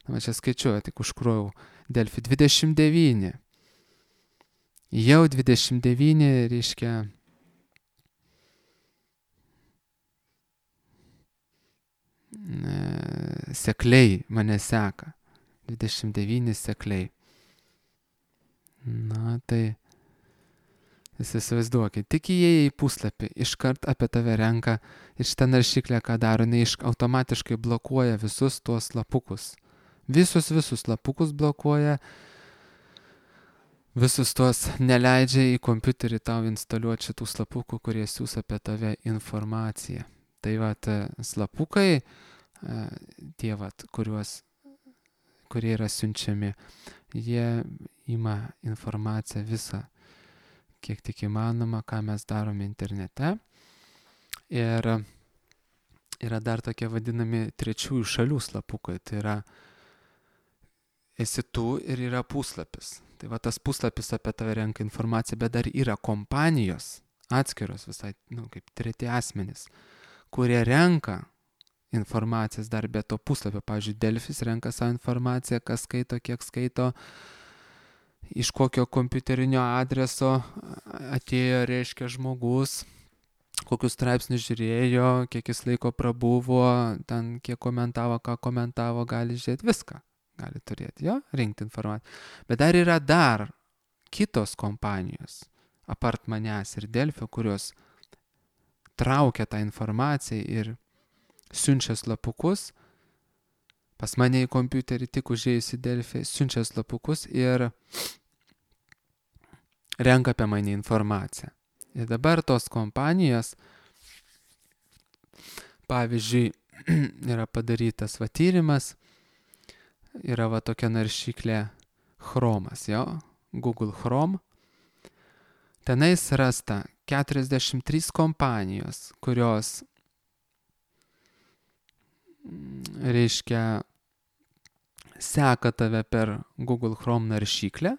Na, čia skaičiuoju, tik užkrovau Delfi, dvidešimt devyni. Jau dvidešimt devyni, reiškia, sekliai mane seka. dvidešimt devyni sekliai. Na, tai jūs įsivaizduokit, tik įėję į puslapį, iškart apie tave renka ir šitą naršyklę, ką daro, jinai automatiškai blokuoja visus tuos lapukus. Visus, visus lapukus blokuoja, visus tuos neleidžia į kompiuterį tau instaliuoti šitų slapukų, kurie siūs apie tave informaciją. Tai vat slapukai, tie vat, kuriuos, kurie yra siunčiami, jie ima informaciją visą, kiek tik įmanoma, ką mes darome internete. Ir yra dar tokie vadinami trečiųjų šalių slapukai. Tai yra esi tu ir yra puslapis. Tai va tas puslapis apie tave renka informaciją, bet dar yra kompanijos atskiros visai, nu, kaip treti asmenys, kurie renka informacijas dar be to puslapio. Pavyzdžiui, Delfis renka savo informaciją, kas skaito, kiek skaito, iš kokio kompiuterinio adreso atėjo, reiškia, žmogus, kokius straipsnius žiūrėjo, kiek jis laiko prabuvo, ten kiek komentavo, ką komentavo, gali žiūrėti viską. Gali turėti, jo, rinkti informaciją. Bet dar yra dar kitos kompanijos, apart manęs ir Delfio, kurios traukia tą informaciją ir siunčia slapukus. Pas mane į kompiuterį tik užėjus į Delfį, siunčia slapukus ir renka apie mane informaciją. Ir dabar tos kompanijos, pavyzdžiui, yra padarytas va tyrimas, yra va tokia naršyklė Chromas, jo, Google Chrome. Tenais rasta, keturiasdešimt trys kompanijos, kurios, reiškia, seka tave per Google Chrome naršyklę.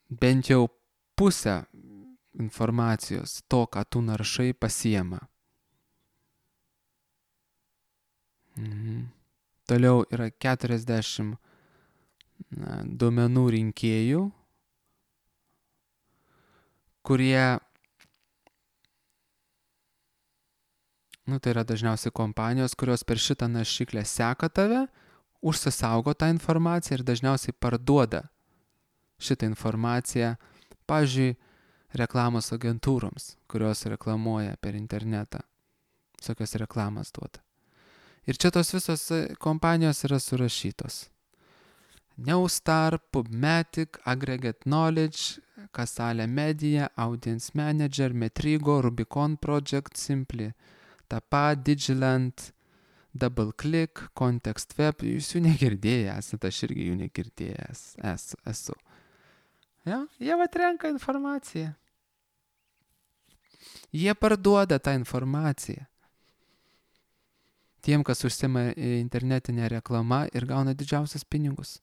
Bent jau pusę informacijos to, ką tu naršai, pasiema. Mhm. Toliau yra keturiasdešimt na, duomenų rinkėjų, kurie, nu tai yra dažniausiai kompanijos, kurios per šitą naršyklę seka tave, užsisaugo tą informaciją ir dažniausiai parduoda šitą informaciją, pavyzdžiui, reklamos agentūroms, kurios reklamuoja per internetą. Visokios reklamas duoda. Ir čia tos visos kompanijos yra surašytos. Neustar, PubMatic, Aggregate Knowledge, Casale Media, Audience Manager, Metrigo, Rubicon Project, Simply, Tapa, Digiland, DoubleClick, Context Web. Jūs jų negirdėję esate, aš irgi jų negirdėjęs esu. esu. Ja? Jie atrenka informaciją. Jie parduoda tą informaciją tiem, kas užsiema internetinę reklamą ir gauna didžiausius pinigus.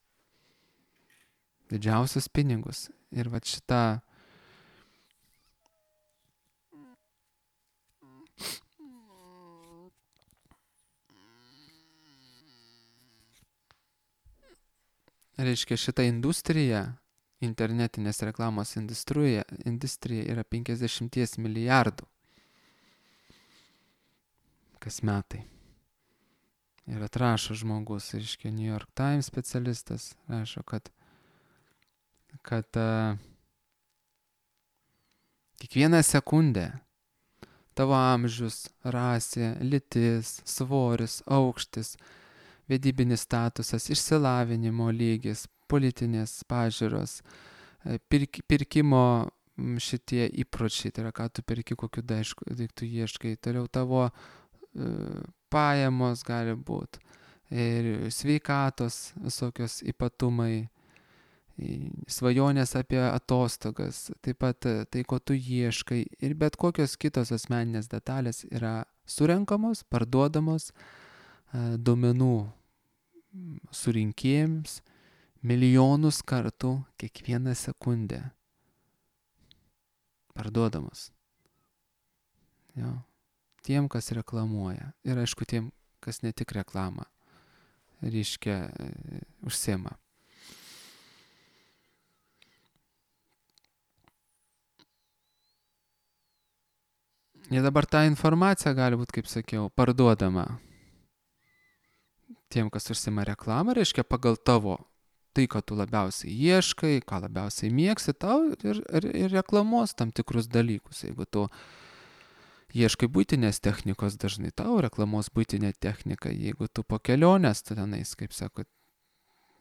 Didžiausius pinigus. Ir va šita reiškia, šita industrija, internetinės reklamos industrija, industrija yra penkiasdešimt milijardų kas metai. Ir atrašo žmogus, reiškia, New York Times specialistas, rašo, kad, kad uh, kiekvieną sekundę tavo amžius, rasė, lytis, svoris, aukštis, vedybinis statusas, išsilavinimo lygis, politinės pažiūros, pirk, pirkimo šitie įpročiai, tai yra, ką tu perki, kokiu daiktų ieškai, toliau tavo pajamos gali būti, ir sveikatos visokios ypatumai, svajonės apie atostogas, taip pat tai, ko tu ieškai, ir bet kokios kitos asmeninės detalės yra surenkamos, parduodamos duomenų surinkėjams milijonus kartų kiekvieną sekundę. Parduodamos. Jo. Tiem, kas reklamuoja. Ir aišku, tiem, kas ne tik reklamą reiškia užsiema. Ir dabar ta informacija gali būti, kaip sakiau, parduodama tiem, kas užsiema reklamą, reiškia pagal tavo tai, ką tu labiausiai ieškai, ką labiausiai mėgsi, tau ir, ir, ir reklamuos tam tikrus dalykus. Jeigu tu ieškai buitinės technikos, dažnai tau reklamos buitinė technika. Jeigu tu po kelionės, tu tenais, kaip sako,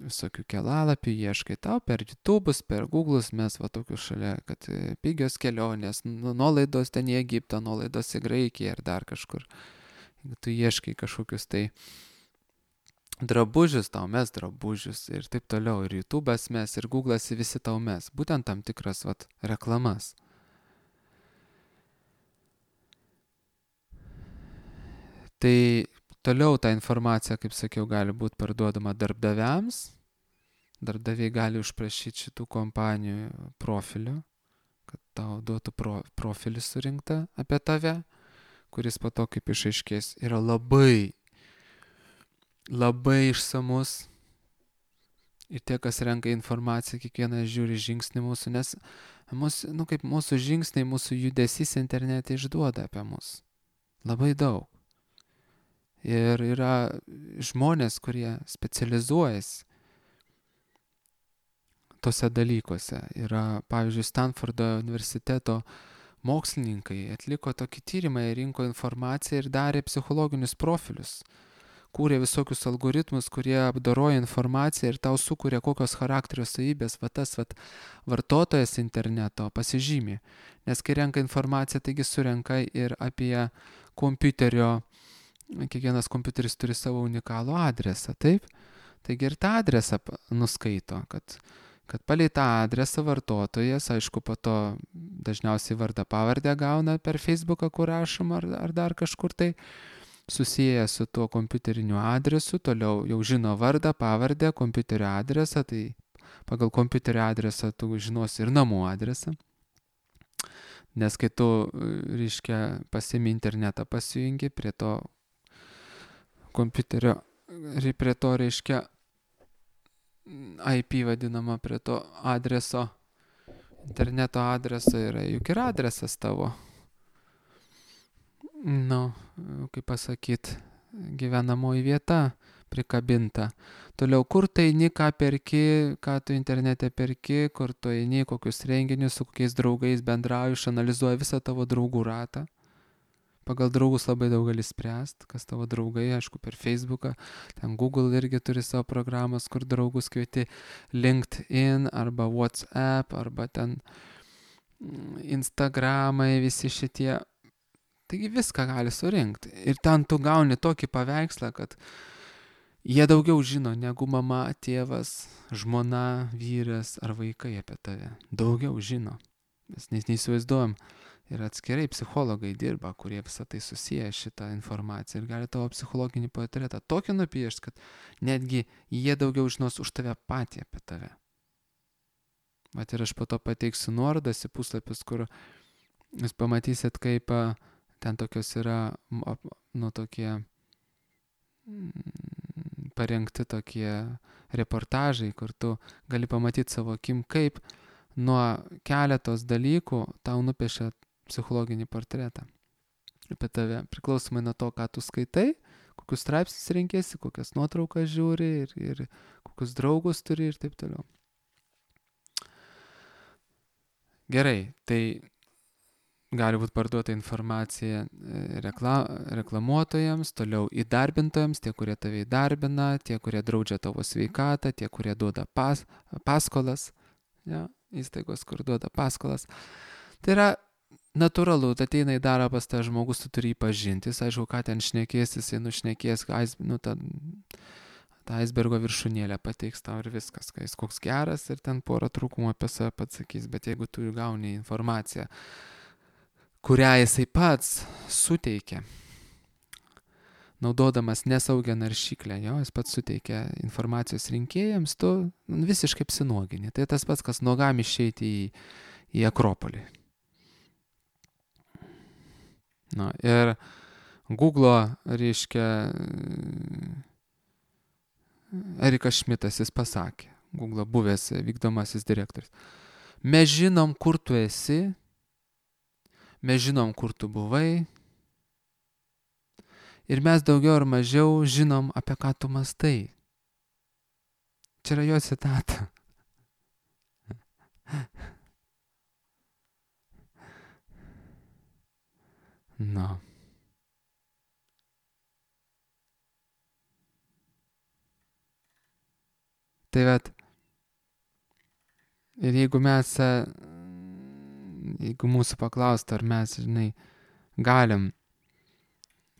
visokių kelalapių ieškai, tau per YouTube'us, per Google'us mes va tokius šalia, kad pigios kelionės, nuolaidos ten į Egiptą, nuolaidos į Graikiją ir dar kažkur. Jeigu tu ieškai kažkokius tai drabužius, tau mes drabužius ir taip toliau. Ir YouTube'as mes, ir Google'as, visi tau mes. Būtent tam tikras vat reklamas. Tai toliau ta informacija, kaip sakiau, gali būti parduodama darbdaviams. Darbdaviai gali užprašyti šitų kompanijų profilių, kad tau duotų pro, profilį surinktą apie tave, kuris po to, kaip išaiškės, yra labai, labai išsamus. Ir tie, kas renka informaciją, kiekvienas žiūri žingsnį mūsų, nes mūsų, nu, kaip mūsų žingsniai, mūsų judesys internete išduoda apie mus. Labai daug. Ir yra žmonės, kurie specializuojasi tose dalykuose. Yra, pavyzdžiui, Stanfordo universiteto mokslininkai atliko tokį tyrimą, rinko informaciją ir darė psichologinius profilius. Kūrė visokius algoritmus, kurie apdoroja informaciją ir tau sukuria kokios charakterio savybės, va tas va, vartotojas interneto pasižymi. Nes kai renka informaciją, taigi surenka ir apie kompiuterio, kiekvienas kompiuteris turi savo unikalų adresą, taip? Taigi ir tą adresą nuskaito, kad kad palei tą adresą vartotojas, aišku, po to dažniausiai vardą pavardę gauna per Facebooką, kur rašoma ar, ar dar kažkur tai, susiję su tuo kompiuteriniu adresu, toliau jau žino vardą, pavardę, kompiuterio adresą, tai pagal kompiuterio adresą tu žinosi ir namų adresą. Nes kai tu, reiškia, pasiimi internetą, pasijungi prie to kompiuterio, prie to, reiškia, I P vadinama, prie to adreso, interneto adreso yra juk ir adresas tavo. Nu, kaip pasakyt, gyvenamoji vieta prikabinta. Toliau, kur tu eini, ką perki, ką tu internete perki, kur tu eini, kokius renginius, su kokiais draugais bendrauji, išanalizuoji visą tavo draugų ratą. Pagal draugus labai daug gali spręst, kas tavo draugai, aišku, per Facebooką. Ten Google irgi turi savo programas, kur draugus kvieti, LinkedIn arba WhatsApp arba ten Instagramai, visi šitie. Taigi viską gali surinkti. Ir ten tu gauni tokį paveikslą, kad jie daugiau žino negu mama, tėvas, žmona, vyras ar vaikai apie tave. Daugiau žino. Mes neįsivaizduojam. Ir atskirai psichologai dirba, kurie visą tai susiję šitą informaciją ir gali tavo psichologinį portretą tokį nupiešti, kad netgi jie daugiau žinos už tave patį apie tave. Vat ir aš po to pateiksiu nuorodas į puslapius, kur jūs pamatysit, kaip ten tokios yra, nu, tokie parengti tokie reportažai, kur tu gali pamatyti savo akim, kaip nuo keletos dalykų tau nupiešia psichologinį portretą apie tave, priklausomai nuo to, ką tu skaitai, kokius straipsnius renkėsi, kokias nuotraukas žiūri ir, ir kokius draugus turi ir taip toliau. Gerai, tai gali būti parduota informacija rekla, reklamuotojams, toliau įdarbintojams, tie, kurie tave įdarbina, tie, kurie draudžia tavo sveikatą, tie, kurie duoda pas, paskolas, ja, įstaigos, kur duoda paskolas. Tai yra natūralu, tai ateina į darbą pas tą žmogus, tu turi jį pažinti, jis, aišku, ką ten šnekės, jisai nušnekės, nu, tą, tą aisbergo viršūnėlę pateiks tau ir viskas, kai jis koks geras ir ten porą trūkumų apie save pats sakys, bet jeigu tu gauni informaciją, kurią jisai pats suteikia, naudodamas nesaugią naršyklę, jo, jis pats suteikia informacijos rinkėjams, tu visiškai apsinuogini. Tai tas pats, kas nuogam išeiti į, į Akropolį. Na, ir Google'o, reiškia, Erikas Šmitas, jis pasakė, Google'o buvęs vykdomasis direktorius, mes žinom, kur tu esi, mes žinom, kur tu buvai, ir mes daugiau ar mažiau žinom, apie ką tu mąstai. Čia yra jo citata. Na. Tai vat, ir jeigu mes, jeigu mūsų paklaustų, ar mes, žinai, galim,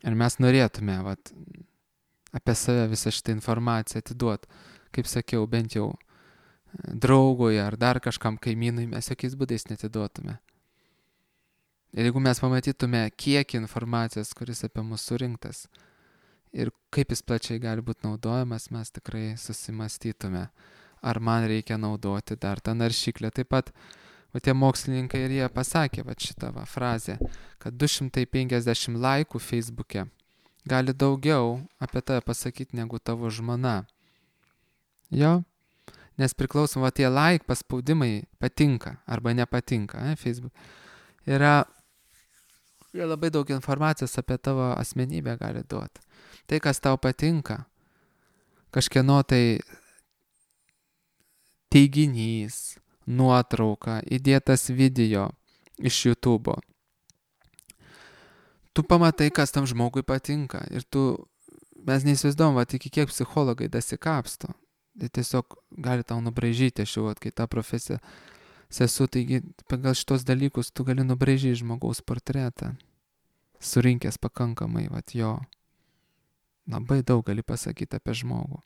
ar mes norėtume, vat, apie save visą šitą informaciją atiduot, kaip sakiau, bent jau draugui ar dar kažkam kaimynui, mes jokiais būdais netiduotume. Ir jeigu mes pamatytume, kiek informacijos, kuris apie mus surinktas ir kaip jis plačiai gali būti naudojamas, mes tikrai susimastytume, ar man reikia naudoti dar tą naršyklę. Taip pat, va, tie mokslininkai ir jie pasakė va, šitą va, frazę, kad du šimtai penkiasdešimt laikų Facebook'e gali daugiau apie tave pasakyti negu tavo žmona. Jo? Nes priklausom, va, tie like paspaudimai patinka arba nepatinka, ne, Facebook. Yra Ir labai daug informacijos apie tavo asmenybę gali duoti. Tai, kas tau patinka, kažkieno tai teiginys, nuotrauka, įdėtas video iš YouTube'o. Tu pamatai, kas tam žmogui patinka. Ir tu, mes neįsivaizduom, va, iki kiek psichologai dasikapsto. Tai tiesiog gali tau nubraižyti, aš jau, kai tą profesiją sesu, taigi pagal šitos dalykus tu gali nubraižyti žmogaus portretą, surinkęs pakankamai, vat, jo, labai daug gali pasakyti apie žmogų.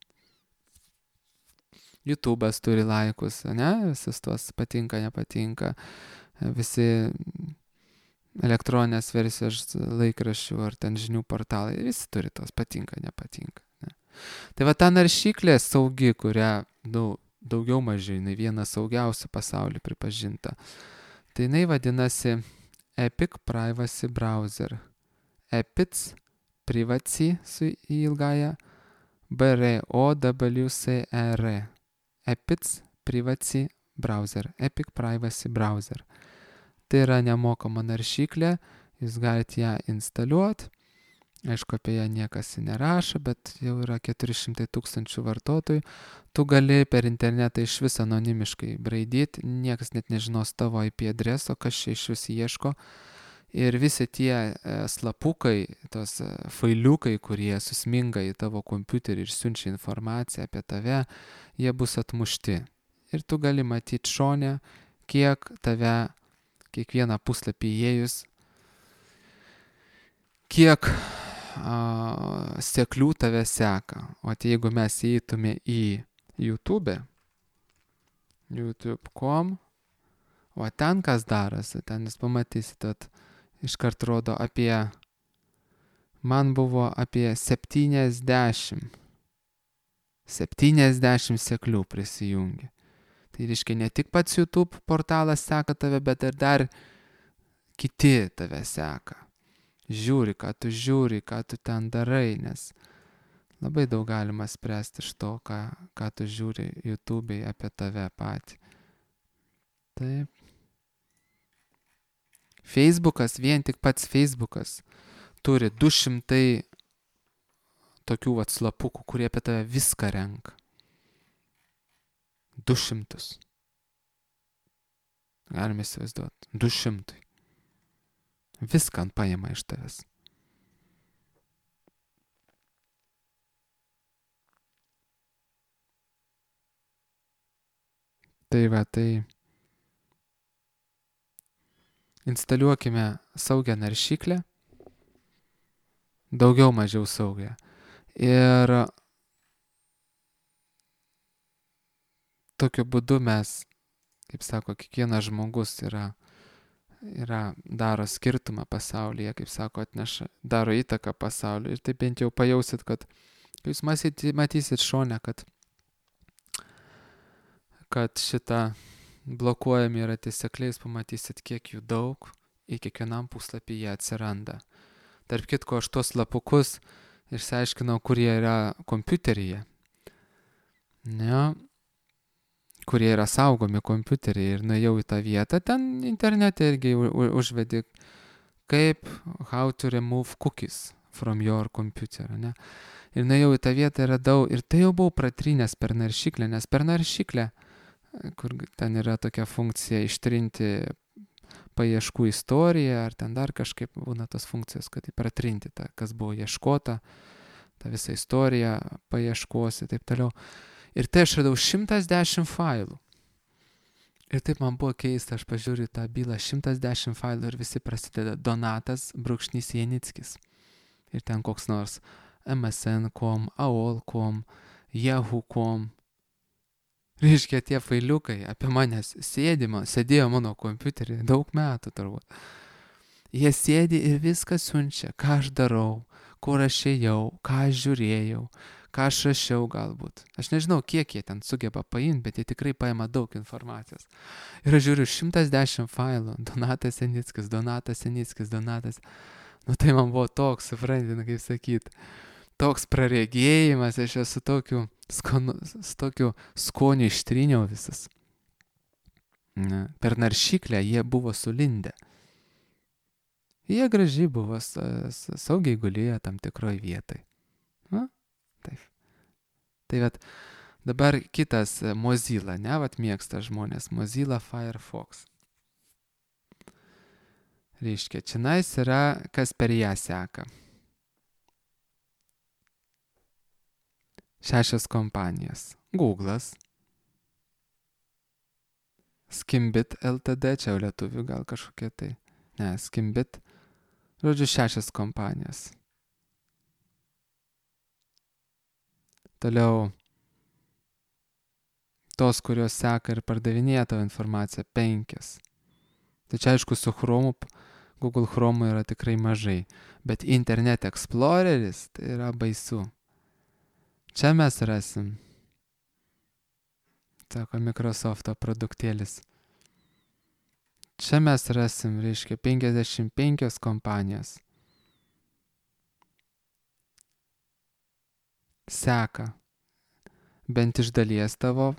YouTube'as turi laikus, ne, visus tuos patinka, nepatinka, visi elektroninės versijos laikraščių ar ten žinių portalai, visi turi tos patinka, nepatinka. Ne. Tai va ta naršyklė saugi, kurią, nu, daugiau mažiau, jinai viena saugiausių pasaulyje pripažinta. Tai jinai vadinasi Epic Privacy Browser. Epic Privacy su ilgaja B R O W C R. Epic Privacy Browser. Epic Privacy Browser. Tai yra nemokama naršyklė, jūs galite ją instaliuoti. Aišku, apie ją niekas nerašo, bet jau yra keturi šimtai tūkstančių vartotojų. Tu gali per internetą iš vis anonimiškai braidyti, niekas net nežinos tavo I P adreso, kas čia iš vis ieško. Ir visi tie e, slapukai, tos e, failiukai, kurie susminga į tavo kompiuterį ir siunčia informaciją apie tave, jie bus atmušti. Ir tu gali matyti šone, kiek tave kiekvieną puslapį įėjus, kiek a, seklių tave seka. O tai jeigu mes įeitume į YouTube, youtube taškas com, o ten kas darosi, ten jūs pamatysit, kad iškart rodo apie, man buvo apie septyniasdešimt, septyniasdešimt seklių prisijungi. Tai reiškia, ne tik pats YouTube portalas seka tave, bet ir dar kiti tave seka. Žiūri, ką tu žiūri, ką tu ten darai, nes labai daug galima spręsti iš to, ką, ką tu žiūri YouTube'ai apie tave patį. Taip. Facebookas, vien tik pats Facebookas turi du šimtai tokių vat slapukų, kurie apie tave viską renka. Du šimtus. Galime įsivaizduoti. Du šimtai. Viską paima iš tavęs. Tai va, tai instaliuokime saugią naršyklę, daugiau mažiau saugią. Ir tokiu būdu mes, kaip sako, kiekvienas žmogus yra, yra, daro skirtumą pasaulyje, kaip sako, atneša, daro įtaką pasauliu. Ir taip bent jau pajausit, kad jūs matysit, matysit šone, kad, kad šitą blokuojami yra tie sekliai, jūs pamatysit, kiek jų daug, į kiekvienam puslapį jie atsiranda. Tarp kitko, aš tuos lapukus išsiaiškinau, kurie yra kompiuteryje. Ne, kurie yra saugomi kompiuteriai ir nuėjau į tą vietą, ten internete irgi užvedi kaip how to remove cookies from your computer, ne? Ir nuėjau į tą vietą ir radau, ir tai jau buvau pratrynęs per naršyklę, nes per naršyklę, kur ten yra tokia funkcija ištrinti paieškų istoriją, ar ten dar kažkaip būna tos funkcijos, kad pratrinti tą, kas buvo ieškota, tą visą istoriją paieškos ir taip toliau. Ir tai aš radau šimtas dešimt failų. Ir taip man buvo keista, aš pažiūriu tą bylą, šimtas dešimt failų ir visi prasideda Donatas brūkšnys Janickis. Ir ten koks nors M S N taškas com, A O L taškas com, Yahoo taškas com. Reiškia, tie failiukai apie manęs sėdimo, sėdėjo mano kompiuterį daug metų turbūt. Jie sėdi ir viską siunčia, ką aš darau, kur aš ėjau, ką aš žiūrėjau, ką aš rašiau galbūt. Aš nežinau, kiek jie ten sugeba paimti, bet jie tikrai paima daug informacijos. Ir aš žiūriu šimtas dešimt failų. Donatas Janickis, Donatas Janickis, Donatas. Nu tai man buvo toks, suprantate, kaip sakyt, toks praregėjimas, aš esu tokiu, skonu, tokiu skoniu ištryniau visas. Ne. Per naršyklę jie buvo sulindę. Jie gražiai buvo, saugiai gulėjo tam tikroj vietai. Na, taip. Tai vat, dabar kitas Mozilla, ne, vat mėgsta žmonės, Mozilla Firefox. Reiškia, čionais yra, kas per ją seka. Šešios kompanijos. Google'as, Skimbit L T D, čia jau lietuvių gal kažkokie tai. Ne, Skimbit. Žodžiu, šešios kompanijos. Toliau tos, kurios seka ir pardavinėja tavo informaciją, penkios. Tai čia aišku, su Chromu, Google Chrome yra tikrai mažai, bet Internet Exploreris tai yra baisu. Čia mes rasim, sako Microsofto produktėlis. Čia mes rasim, reiškia, penkiasdešimt penkios kompanijos. Seka bent iš dalies tavo,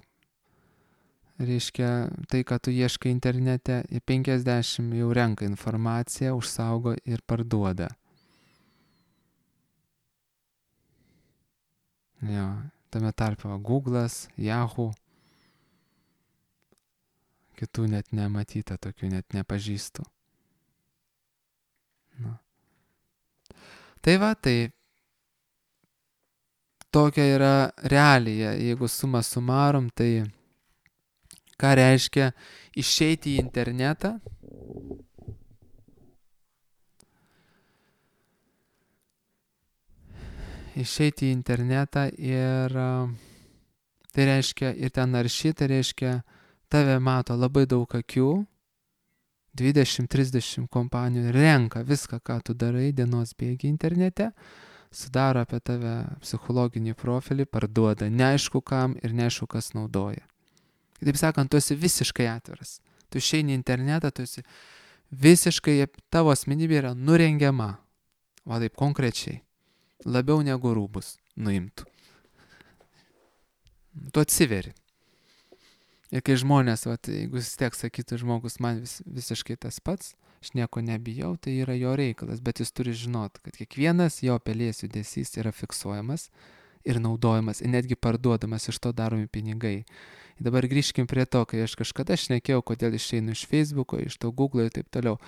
reiškia, tai, ką tu ieškai internete, į penkiasdešimt jau renka informaciją, užsaugo ir parduoda. Jo, tame tarpe Google'as, Yahoo, kitų net nematyta, tokių net nepažįstu. Na. Tai va, tai tokia yra realija, jeigu suma sumarum, tai ką reiškia išeiti į internetą? Išeiti į internetą ir tai reiškia, ir ten naršyti, tai reiškia, tave mato labai daug akių, dvidešimt trisdešimt kompanijų renka viską, ką tu darai dienos bėgi internete, sudaro apie tave psichologinį profilį, parduoda neaišku kam ir neaišku kas naudoja. Taip sakant, tu esi visiškai atviras. Tu išeini į internetą, tu esi visiškai, tavo asmenybė yra nurengiama. Va taip konkrečiai. Labiau negu rūbus nuimtų. Tu atsiveri. Ir kai žmonės, va, jeigu vis tiek sakytų žmogus, man vis, visiškai tas pats, aš nieko nebijau, tai yra jo reikalas, bet jis turi žinoti, kad kiekvienas jo pelės judesys yra fiksuojamas ir naudojamas, ir netgi parduodamas, iš to daromi pinigai. Ir dabar grįžkim prie to, kai aš kažkada šnekėjau, kodėl išeinu iš Facebooko, iš to Google ir taip toliau.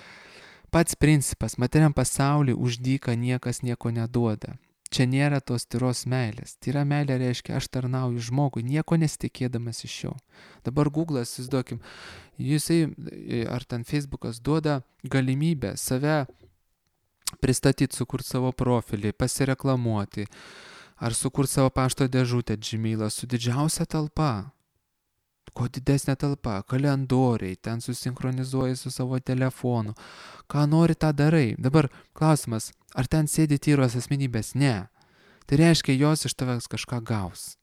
Pats principas, materiam pasauliui už dyką niekas nieko neduoda. Čia nėra tos tyros meilės. Tyra meilė reiškia, aš tarnauju žmogui, nieko nesitikėdamas iš jo. Dabar Google'as, įsivaizduokim, jisai ar ten Facebookas duoda galimybę save pristatyti, sukurti savo profilį, pasireklamuoti, ar sukurti savo pašto dėžutę Gmail'ą su didžiausia talpa. Kuo didesnė talpa, kalendoriai, ten susinchronizuoji su savo telefonu. Ką nori, tą darai. Dabar klausimas, ar ten sėdi tyros asmenybės? Ne. Tai reiškia, jos iš tavęs kažką gaus.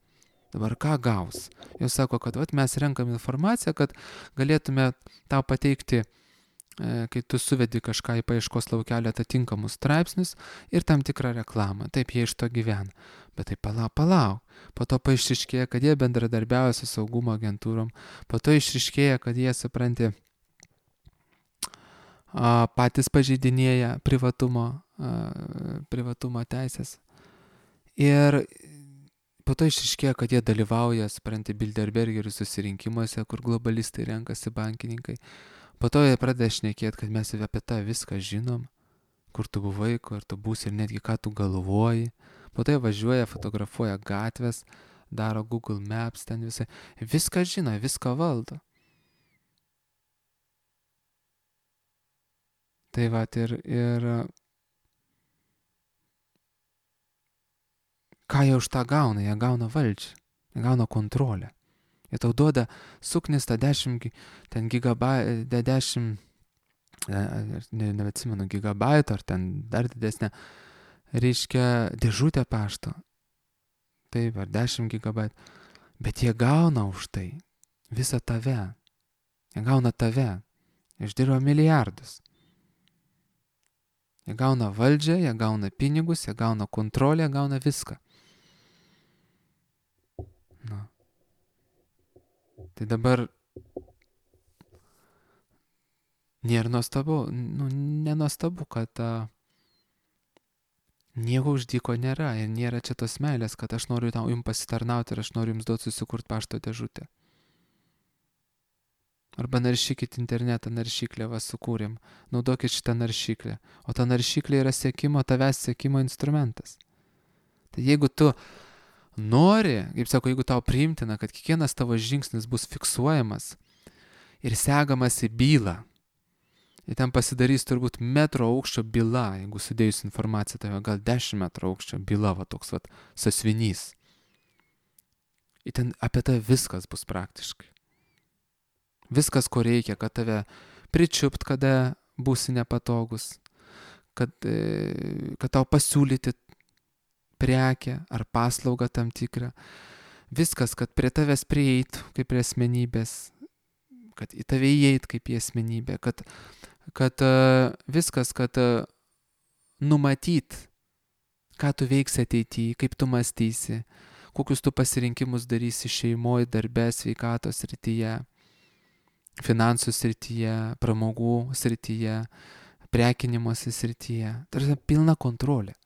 Dabar ką gaus? Jos sako, kad vat, mes renkam informaciją, kad galėtume tau pateikti, e, kai tu suvedi kažką į paieškos laukelį atitinkamus straipsnius ir tam tikrą reklamą. Taip, jie iš to gyvena. Bet tai palauk, palauk. Po to paaiškėja, kad jie bendradarbiauja su saugumo agentūrom. Po to išriškėja, kad jie, supranti, a, patys pažeidinėja privatumo, a, privatumo teisės. Ir po to išriškėja, kad jie dalyvauja, supranti, Bilderbergerių susirinkimuose, kur globalistai renkasi bankininkai. Po to jie pradeda šnekėti, kad mes apie tą viską žinom, kur tu buvai, kur tu būsi ir netgi ką tu galvoji. Po to jie važiuoja, fotografuoja gatvės, daro Google Maps, ten visai. Viską žino, viską valdo. Tai va, ir, ir ką jie už tą gauna? Jie gauna valdžią, jie gauna kontrolę. Jie tau duoda suknistą dešimt, ten gigabai, dešimt, ne, neatsimenu, gigabaitų ar ten dar didesnė, reiškia dėžutę pašto. Taip, ar dešimt gigabaitų. Bet jie gauna už tai visą tave. Jie gauna tave. Jie uždirba milijardus. Jie gauna valdžią, jie gauna pinigus, jie gauna kontrolę, jie gauna viską. Na. Tai dabar nėra nuostabu, nu, nenuostabu, kad a, nieko uždyko nėra ir nėra čia tos meilės, kad aš noriu tau jums pasitarnauti ir aš noriu jums duoti susikurti pašto dėžutę. Arba naršykit internetą, naršyklę va sukūrėm, naudokit šitą naršyklę. O ta naršyklė yra sekimo, tavęs sekimo instrumentas. Tai jeigu tu nori, kaip sako, jeigu tau priimtina, kad kiekvienas tavo žingsnis bus fiksuojamas ir segamas į bylą, ir ten pasidarys turbūt metro aukščio byla, jeigu sudėjus informaciją, tai gal dešimt metrų aukščio byla, va toks va sasvinys. Ir ten apie tave viskas bus praktiškai. Viskas, ko reikia, kad tave pričiupt, kada būsi nepatogus, kad, kad tau pasiūlyti prekę ar paslaugą tam tikrą. Viskas, kad prie tavęs prieit kaip prie asmenybės, kad į tave įeit kaip į asmenybę, kad, kad viskas, kad numatyt, ką tu veiksi ateityje, kaip tu mąstysi, kokius tu pasirinkimus darysi šeimoje, darbe, sveikatos srityje, finansų srityje, pramogų srityje, prekinimosi srityje. Tai yra pilna kontrolė.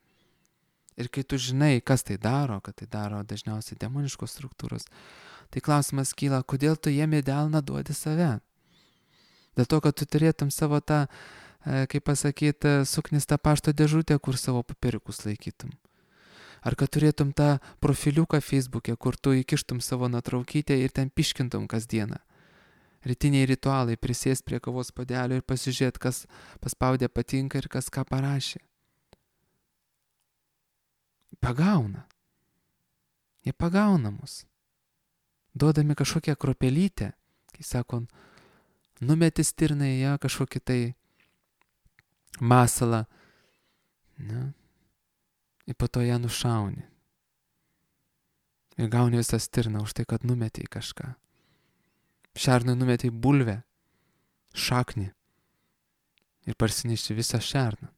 Ir kai tu žinai, kas tai daro, kad tai daro dažniausiai demoniškos struktūros, tai klausimas kyla, kodėl tu jiem į delną duodi save? Dėl to, kad tu turėtum savo tą, kaip pasakyti, suknistą pašto dėžutę, kur savo papiriukus laikytum. Ar kad turėtum tą profiliuką Facebook'e, kur tu įkištum savo nuotraukytę ir ten piškintum kasdieną. Rytiniai ritualai, prisėst prie kavos puodelio ir pasižiūrėt, kas paspaudė patinka ir kas ką parašė. Pagauna. Jie pagauna mus. Duodami kažkokią kropelytę, kai sako, numeti stirną į ją kažkokį tai masalą, ne? Ir po to ją nušauni. Ir gauni visą stirną už tai, kad numetei kažką. Šernui numetei bulvę, šaknį ir parsinešti visą šerną.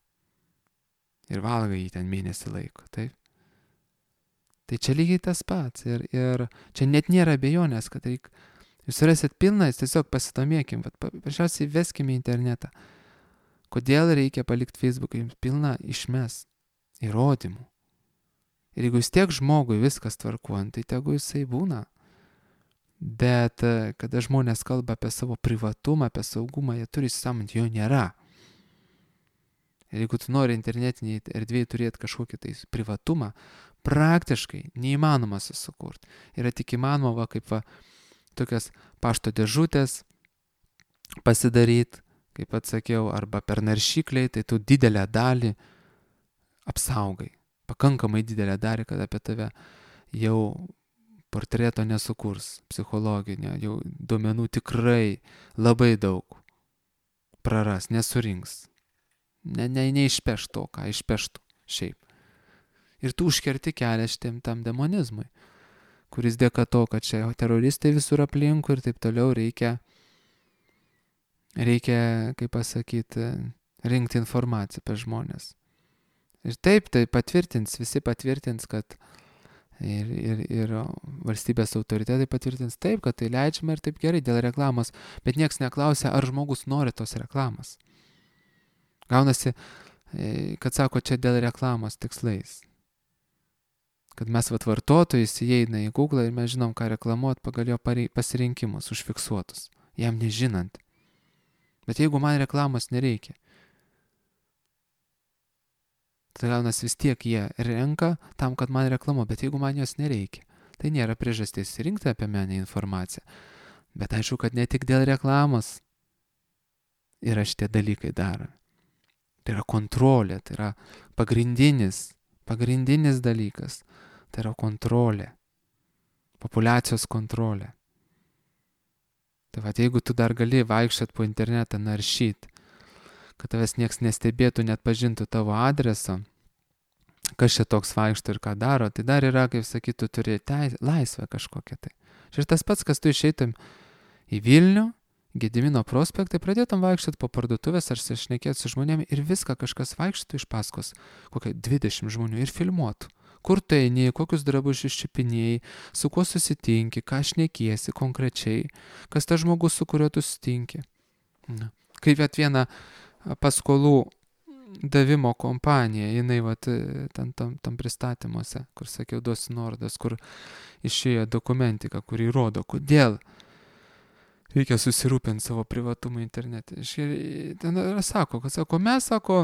Ir valgai jį ten mėnesį laiko, taip? Tai čia lygiai tas pats. Ir, ir čia net nėra abejonės, kad reik, jūs rasit pilną, tiesiog pasidomėkim, bet paprasčiausiai veskime į internetą. Kodėl reikia palikti Facebooką, jums pilna išmes įrodymų. Ir jeigu vis tiek žmogui viskas tvarkuojant, tai tegu jisai būna. Bet kada žmonės kalba apie savo privatumą, apie saugumą, jie turi įsisamonti, jo nėra. Ir jeigu tu nori internetiniai erdvėje turėti kažkokį tai privatumą, praktiškai neįmanoma susikurti. Yra tik įmanoma, va, kaip va, tokias pašto dėžutės pasidaryti, kaip atsakiau, arba per naršykliai, tai tu didelę dalį apsaugai. Pakankamai didelę dalį, kad apie tave jau portreto nesukurs psichologinio, jau duomenų tikrai labai daug praras, nesurinks. Ne, ne, neišpeš to, ką išpeštų šiaip. Ir tu užkerti kelią šitiem tam demonizmui, kuris dėka to, kad čia teroristai visur aplinkui ir taip toliau reikia, reikia, kaip pasakyti, rinkti informaciją apie žmonės. Ir taip, tai patvirtins, visi patvirtins, kad ir, ir, ir valstybės autoritetai patvirtins taip, kad tai leidžiama ir taip gerai dėl reklamos, bet nieks neklausia, ar žmogus nori tos reklamos. Gaunasi, kad sako, čia dėl reklamos tikslais. Kad mes vat vartotojai įeina į Google ir mes žinom, ką reklamuot pagal jo pasirinkimus užfiksuotus, jam nežinant. Bet jeigu man reklamos nereikia, tai gaunasi vis tiek jie renka tam, kad man reklamuot, bet jeigu man jos nereikia, tai nėra priežastis rinkti apie mane informaciją. Bet aišku, kad ne tik dėl reklamos yra šitie dalykai daromi. Tai yra kontrolė, tai yra pagrindinis, pagrindinis dalykas. Tai yra kontrolė, populiacijos kontrolė. Tai va, jeigu tu dar gali vaikščiot po internetą, naršyt, kad tavęs nieks nestebėtų, net pažintų tavo adresą, kas čia toks vaikšto ir ką daro, tai dar yra, kaip sakytų, turi teis, laisvę kažkokią tai. Ir tas pats, kas tu išeitum į Vilnių, Gedimino prospektai, pradėtum vaikščiot po parduotuvės ar šnekėt su žmonėmis ir viską kažkas vaikščiotų iš paskos, kokia dvidešimt žmonių ir filmuotų. Kur tu eini, kokius drabužius čiupinėjai, su kuo susitinki, ką šnekiesi konkrečiai, kas tas žmogus, su kuriuo tu susitinki. Na. Kaip at viena paskolų davimo kompanija, jinai vat, ten tam, tam pristatymuose, kur sakiau, duosiu nuorodas, kur išėjo dokumentika, kur įrodo, kodėl reikia susirūpinti savo privatumą internete. Ten sako, kad sako, mes, sako,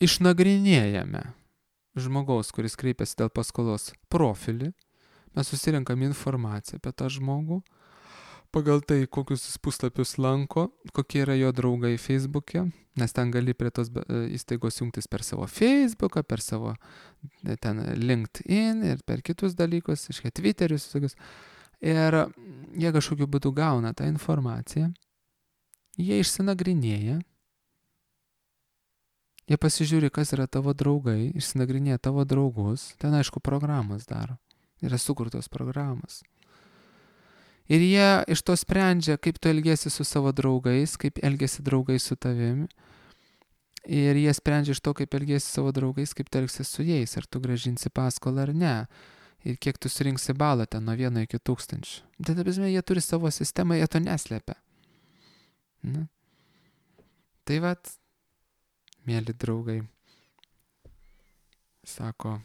išnagrinėjame žmogaus, kuris kreipiasi dėl paskolos profilį, mes susirinkam informaciją apie tą žmogų, pagal tai, kokius jis puslapius lanko, kokie yra jo draugai Facebook'e, nes ten gali prie tos įstaigos jungtis per savo Facebooką, per savo ten LinkedIn ir per kitus dalykus, iškai Twitterius, visokius. Ir jie kažkokiu būdu gauna tą informaciją, jie išsinagrinėja, jie pasižiūri, kas yra tavo draugai, išsinagrinėja tavo draugus, ten aišku programos daro, yra sukurtos programos. Ir jie iš to sprendžia, kaip tu elgiesi su savo draugais, kaip elgiesi draugai su tavimi. Ir jie sprendžia iš to, kaip elgiesi su savo draugais, kaip tu elgsi su jais, ar tu grąžinsi paskolą ar ne. Ir kiek tu surinksi balą ten nuo vieno iki tūkstančių. Tai ta prasme, jie turi savo sistemą, jie to neslepia. Na. Tai vat, mėly draugai, sako,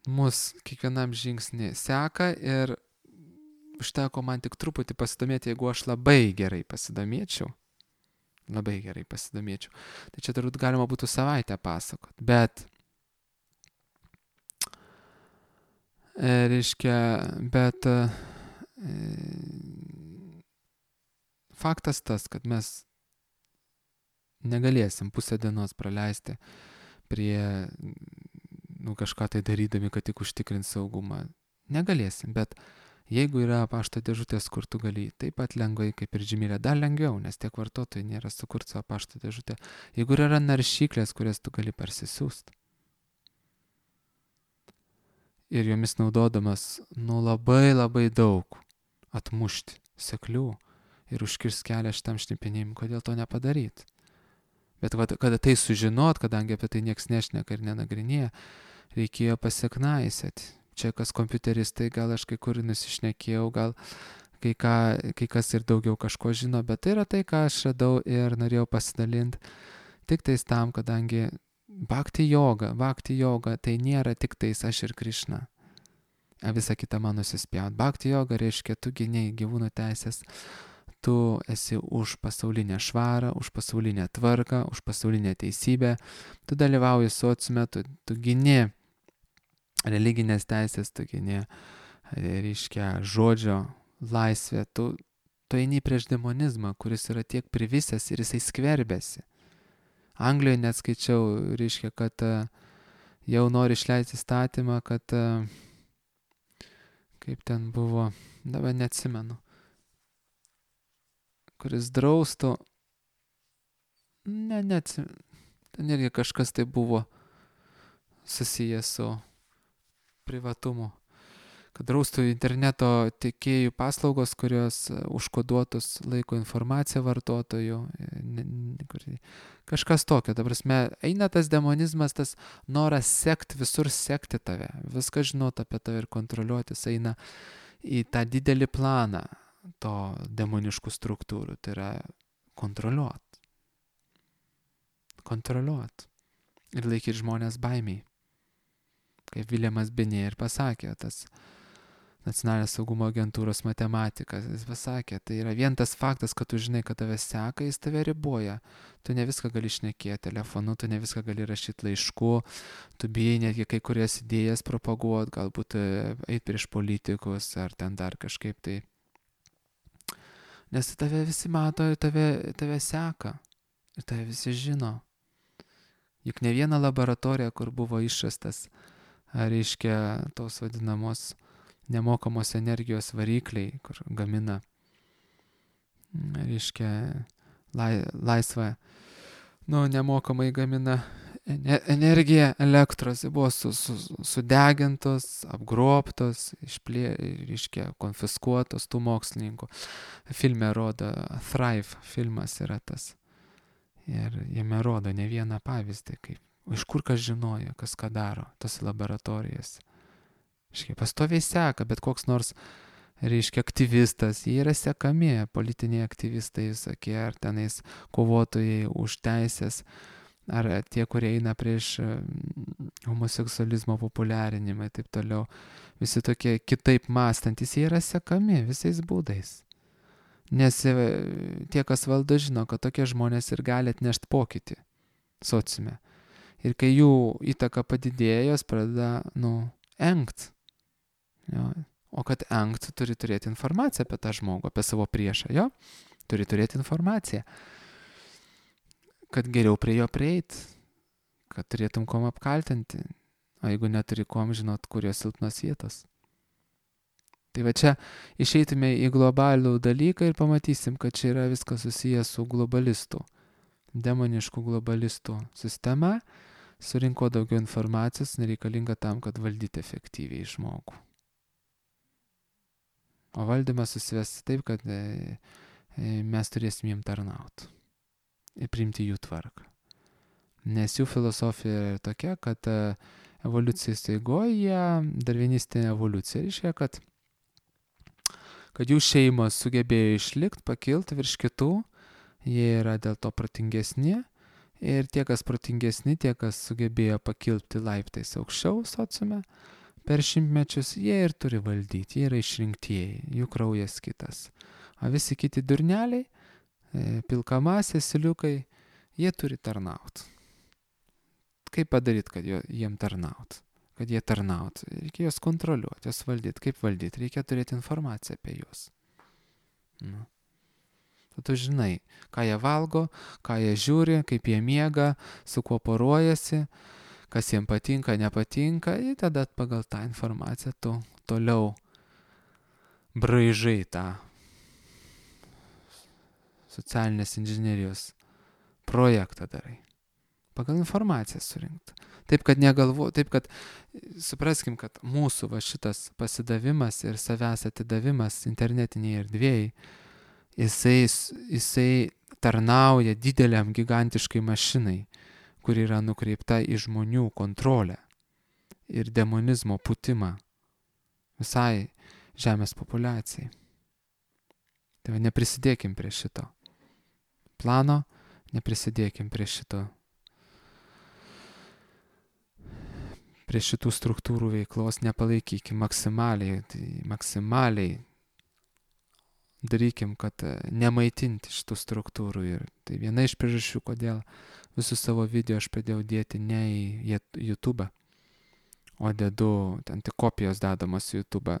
mus kiekvienam žingsnį seka ir užteko man tik truputį pasidomėti, jeigu aš labai gerai pasidomėčiau. Labai gerai pasidomėčiau. Tai čia turbūt galima būtų savaitę pasakot. Bet, e, reiškia, bet e, faktas tas, kad mes negalėsim pusę dienos praleisti prie, nu, kažką tai darydami, kad tik užtikrint saugumą. Negalėsim, bet jeigu yra pašto dėžutės, kur tu gali taip pat lengvai kaip ir Gmail'e, dar lengviau, nes tiek vartotojai nėra sukurti savo pašto dėžutę. Jeigu yra naršyklės, kurias tu gali parsisiųsti ir jomis naudodamas, nu, labai labai daug atmušti seklių ir užkirs kelią šitam šnipinėjimui, kodėl to nepadaryti. Bet kada tai sužinot, kadangi apie tai nieks nešneka ir nenagrinėja, reikėjo pasiknaisėti. Čia kas kompiuteristai, gal aš kai kur nusišnekėjau, gal kai, ką, kai kas ir daugiau kažko žino, bet tai yra tai, ką aš radau ir norėjau pasidalinti tik tais tam, kadangi bhakti yoga, bhakti yoga tai nėra tik tais aš ir Krišna. Visa kita man nusispjaut. Bhakti yoga reiškia, tu gyniai gyvūnų teisės, tu esi už pasaulinę švarą, už pasaulinę tvarką, už pasaulinę teisybę, tu dalyvauji sociume, tu, tu gyni religinės teisės, tu gini, reiškia, žodžio laisvę, tu, tu eini prieš demonizmą, kuris yra tiek privisęs ir jisai skverbėsi. Anglijoje net skaičiau, reiškia, kad jau nori išleisti įstatymą, kad kaip ten buvo, dabar neatsimenu, kuris draustų, ne, neatsimenu, ten irgi kažkas tai buvo susijęs su privatumu, kad draustų interneto tiekėjų paslaugos, kurios užkoduotus laiko informaciją vartotojų, kažkas tokio. Ta prasme, eina tas demonizmas, tas noras sekti, visur sekti tave, viską žinot apie tave ir kontroliuotis, eina į tą didelį planą to demoniškų struktūrų, tai yra kontroliuot. Kontroliuot. Ir laikyti žmonės baimiai. Kaip Viljamas Benė ir pasakė, tas nacionalinės saugumo agentūros matematikas, jis pasakė, tai yra vien tas faktas, kad tu žinai, kad tave seka, jis tave riboja. Tu ne viską gali šnekėti telefonu, tu ne viską gali rašyti laišku, tu bijai netgi kai kurias idėjas propaguoti, galbūt eiti prieš politikus ar ten dar kažkaip tai. Nes tave visi mato ir tave, tave seka ir tave visi žino. Juk ne viena laboratorija, kur buvo išrastas, reiškia, tos vadinamos nemokamos energijos varikliai, kur gamina, reiškia, lai, laisvą, nu, nemokamai gamina energiją elektros, buvo su, su, sudegintos, apgrobtos, išplė, reiškia, konfiskuotos tų mokslininkų. Filme rodo, Thrive filmas yra tas. Ir jame rodo ne vieną pavyzdį, kaip iš kur kas žinojo, kas ką daro, tos laboratorijas. Reiškia, pastoviai seka, bet koks nors, reiškia, aktyvistas, jie yra sekami, politiniai aktyvistai, visokie, ar tenais kovotojai už teisės, ar tie, kurie eina prieš homoseksualizmo populiarinimą ir taip toliau. Visi tokie kitaip mąstantis, jie yra sekami visais būdais. Nes tie, kas valdo, žino, kad tokie žmonės ir gali atnešti pokytį sociume. Ir kai jų įtaka padidėja, jos pradeda, nu, engt. Jo. O kad engt, turi turėti informaciją apie tą žmogų, apie savo priešą, jo? Turi turėti informaciją, kad geriau prie jo prieit, kad turėtum kom apkaltinti, o jeigu neturi kom, žinot, kur jo silpnos vietos. Tai va čia išeitume į globalų dalyką ir pamatysim, kad čia yra viskas susijęs su globalistų, demoniškų globalistų sistema, surinko daugiau informacijos, nereikalinga tam, kad valdyti efektyviai žmogų. O valdymas susivesti taip, kad e, e, mes turėsim jiem tarnauti ir priimti jų tvarką. Nes jų filosofija yra tokia, kad e, evoliucijos eigoje darvinistinė evoliucija reiškia, kad, kad jų šeimos sugebėjo išlikti, pakilti virš kitų, jie yra dėl to protingesni. Ir tie, kas protingesni, tie, kas sugebėjo pakilti laiptais aukščiau sociume, per šimtmečius jie ir turi valdyti, jie yra išrinktieji, jų kraujas kitas. O visi kiti durneliai, pilkamasės, siliukai, jie turi tarnauti. Kaip padaryti, kad jiem tarnauti? Kad jie tarnauti? Reikia juos kontroliuoti, juos valdyti. Kaip valdyti? Reikia turėti informaciją apie juos. Nu. Tu žinai, ką jie valgo, ką jie žiūri, kaip jie miega, su kuo poruojasi, kas jiems patinka, nepatinka, ir tada pagal tą informaciją tu toliau braižai tą socialinės inžinerijos projektą darai. Pagal informaciją surinkt. Taip, kad negalvo, taip, kad supraskim, kad mūsų va šitas pasidavimas ir savęs atidavimas internetiniai erdvėjai, jisai, jisai tarnauja dideliam gigantiškai mašinai, kur yra nukreipta į žmonių kontrolę ir demonizmo putimą visai žemės populiacijai. Tai va, neprisidėkim prie šito plano, neprisidėkim prie šito, prie šitų struktūrų veiklos, nepalaikykim maksimaliai, tai maksimaliai darykim, kad nemaitinti šitų struktūrų. Ir tai viena iš priežasčių, kodėl visus savo video aš pradėjau dėti ne į YouTube, o dedu, ten tik kopijos dedamos į YouTube.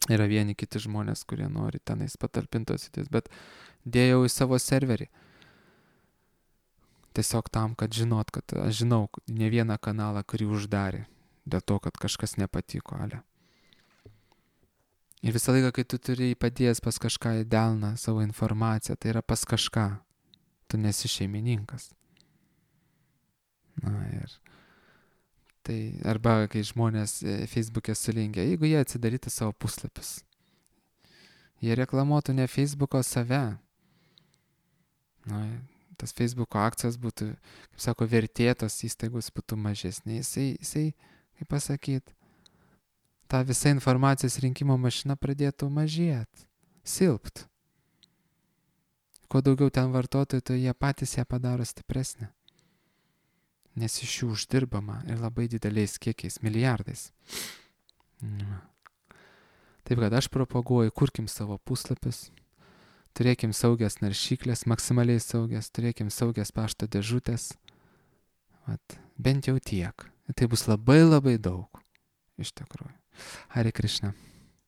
Yra vieni kiti žmonės, kurie nori tenais patalpintos įdės, bet dėjau į savo serverį. Tiesiog tam, kad žinot, kad aš žinau ne vieną kanalą, kurį uždarė, dėl to, kad kažkas nepatiko, ale. Ir visą laiką, kai tu turi padėjęs pas kažką į delną savo informaciją, tai yra pas kažką. Tu nesi šeimininkas. Na ir tai, arba kai žmonės Facebook'e sulingia, jeigu jie atsidarytų savo puslapius, jie reklamuotų ne Facebook'o save. Na, tas Facebook'o akcijos būtų, kaip sako, vertėtos įstaigos būtų mažesnė. Jisai, jisai, kaip pasakyt, ta visa informacijos rinkimo mašina pradėtų mažėti, silpt. Kuo daugiau ten vartotojų, tai jie patys ją padaro stipresnę. Nes iš jų uždirbama ir labai dideliais kiekiais, milijardais. Taip kad aš propaguoju, kurkim savo puslapius, turėkim saugias naršyklės, maksimaliai saugias, turėkim saugias pašto dėžutės. Vat, bent jau tiek. Tai bus labai labai daug, iš tikrųjų. Hare Krishna.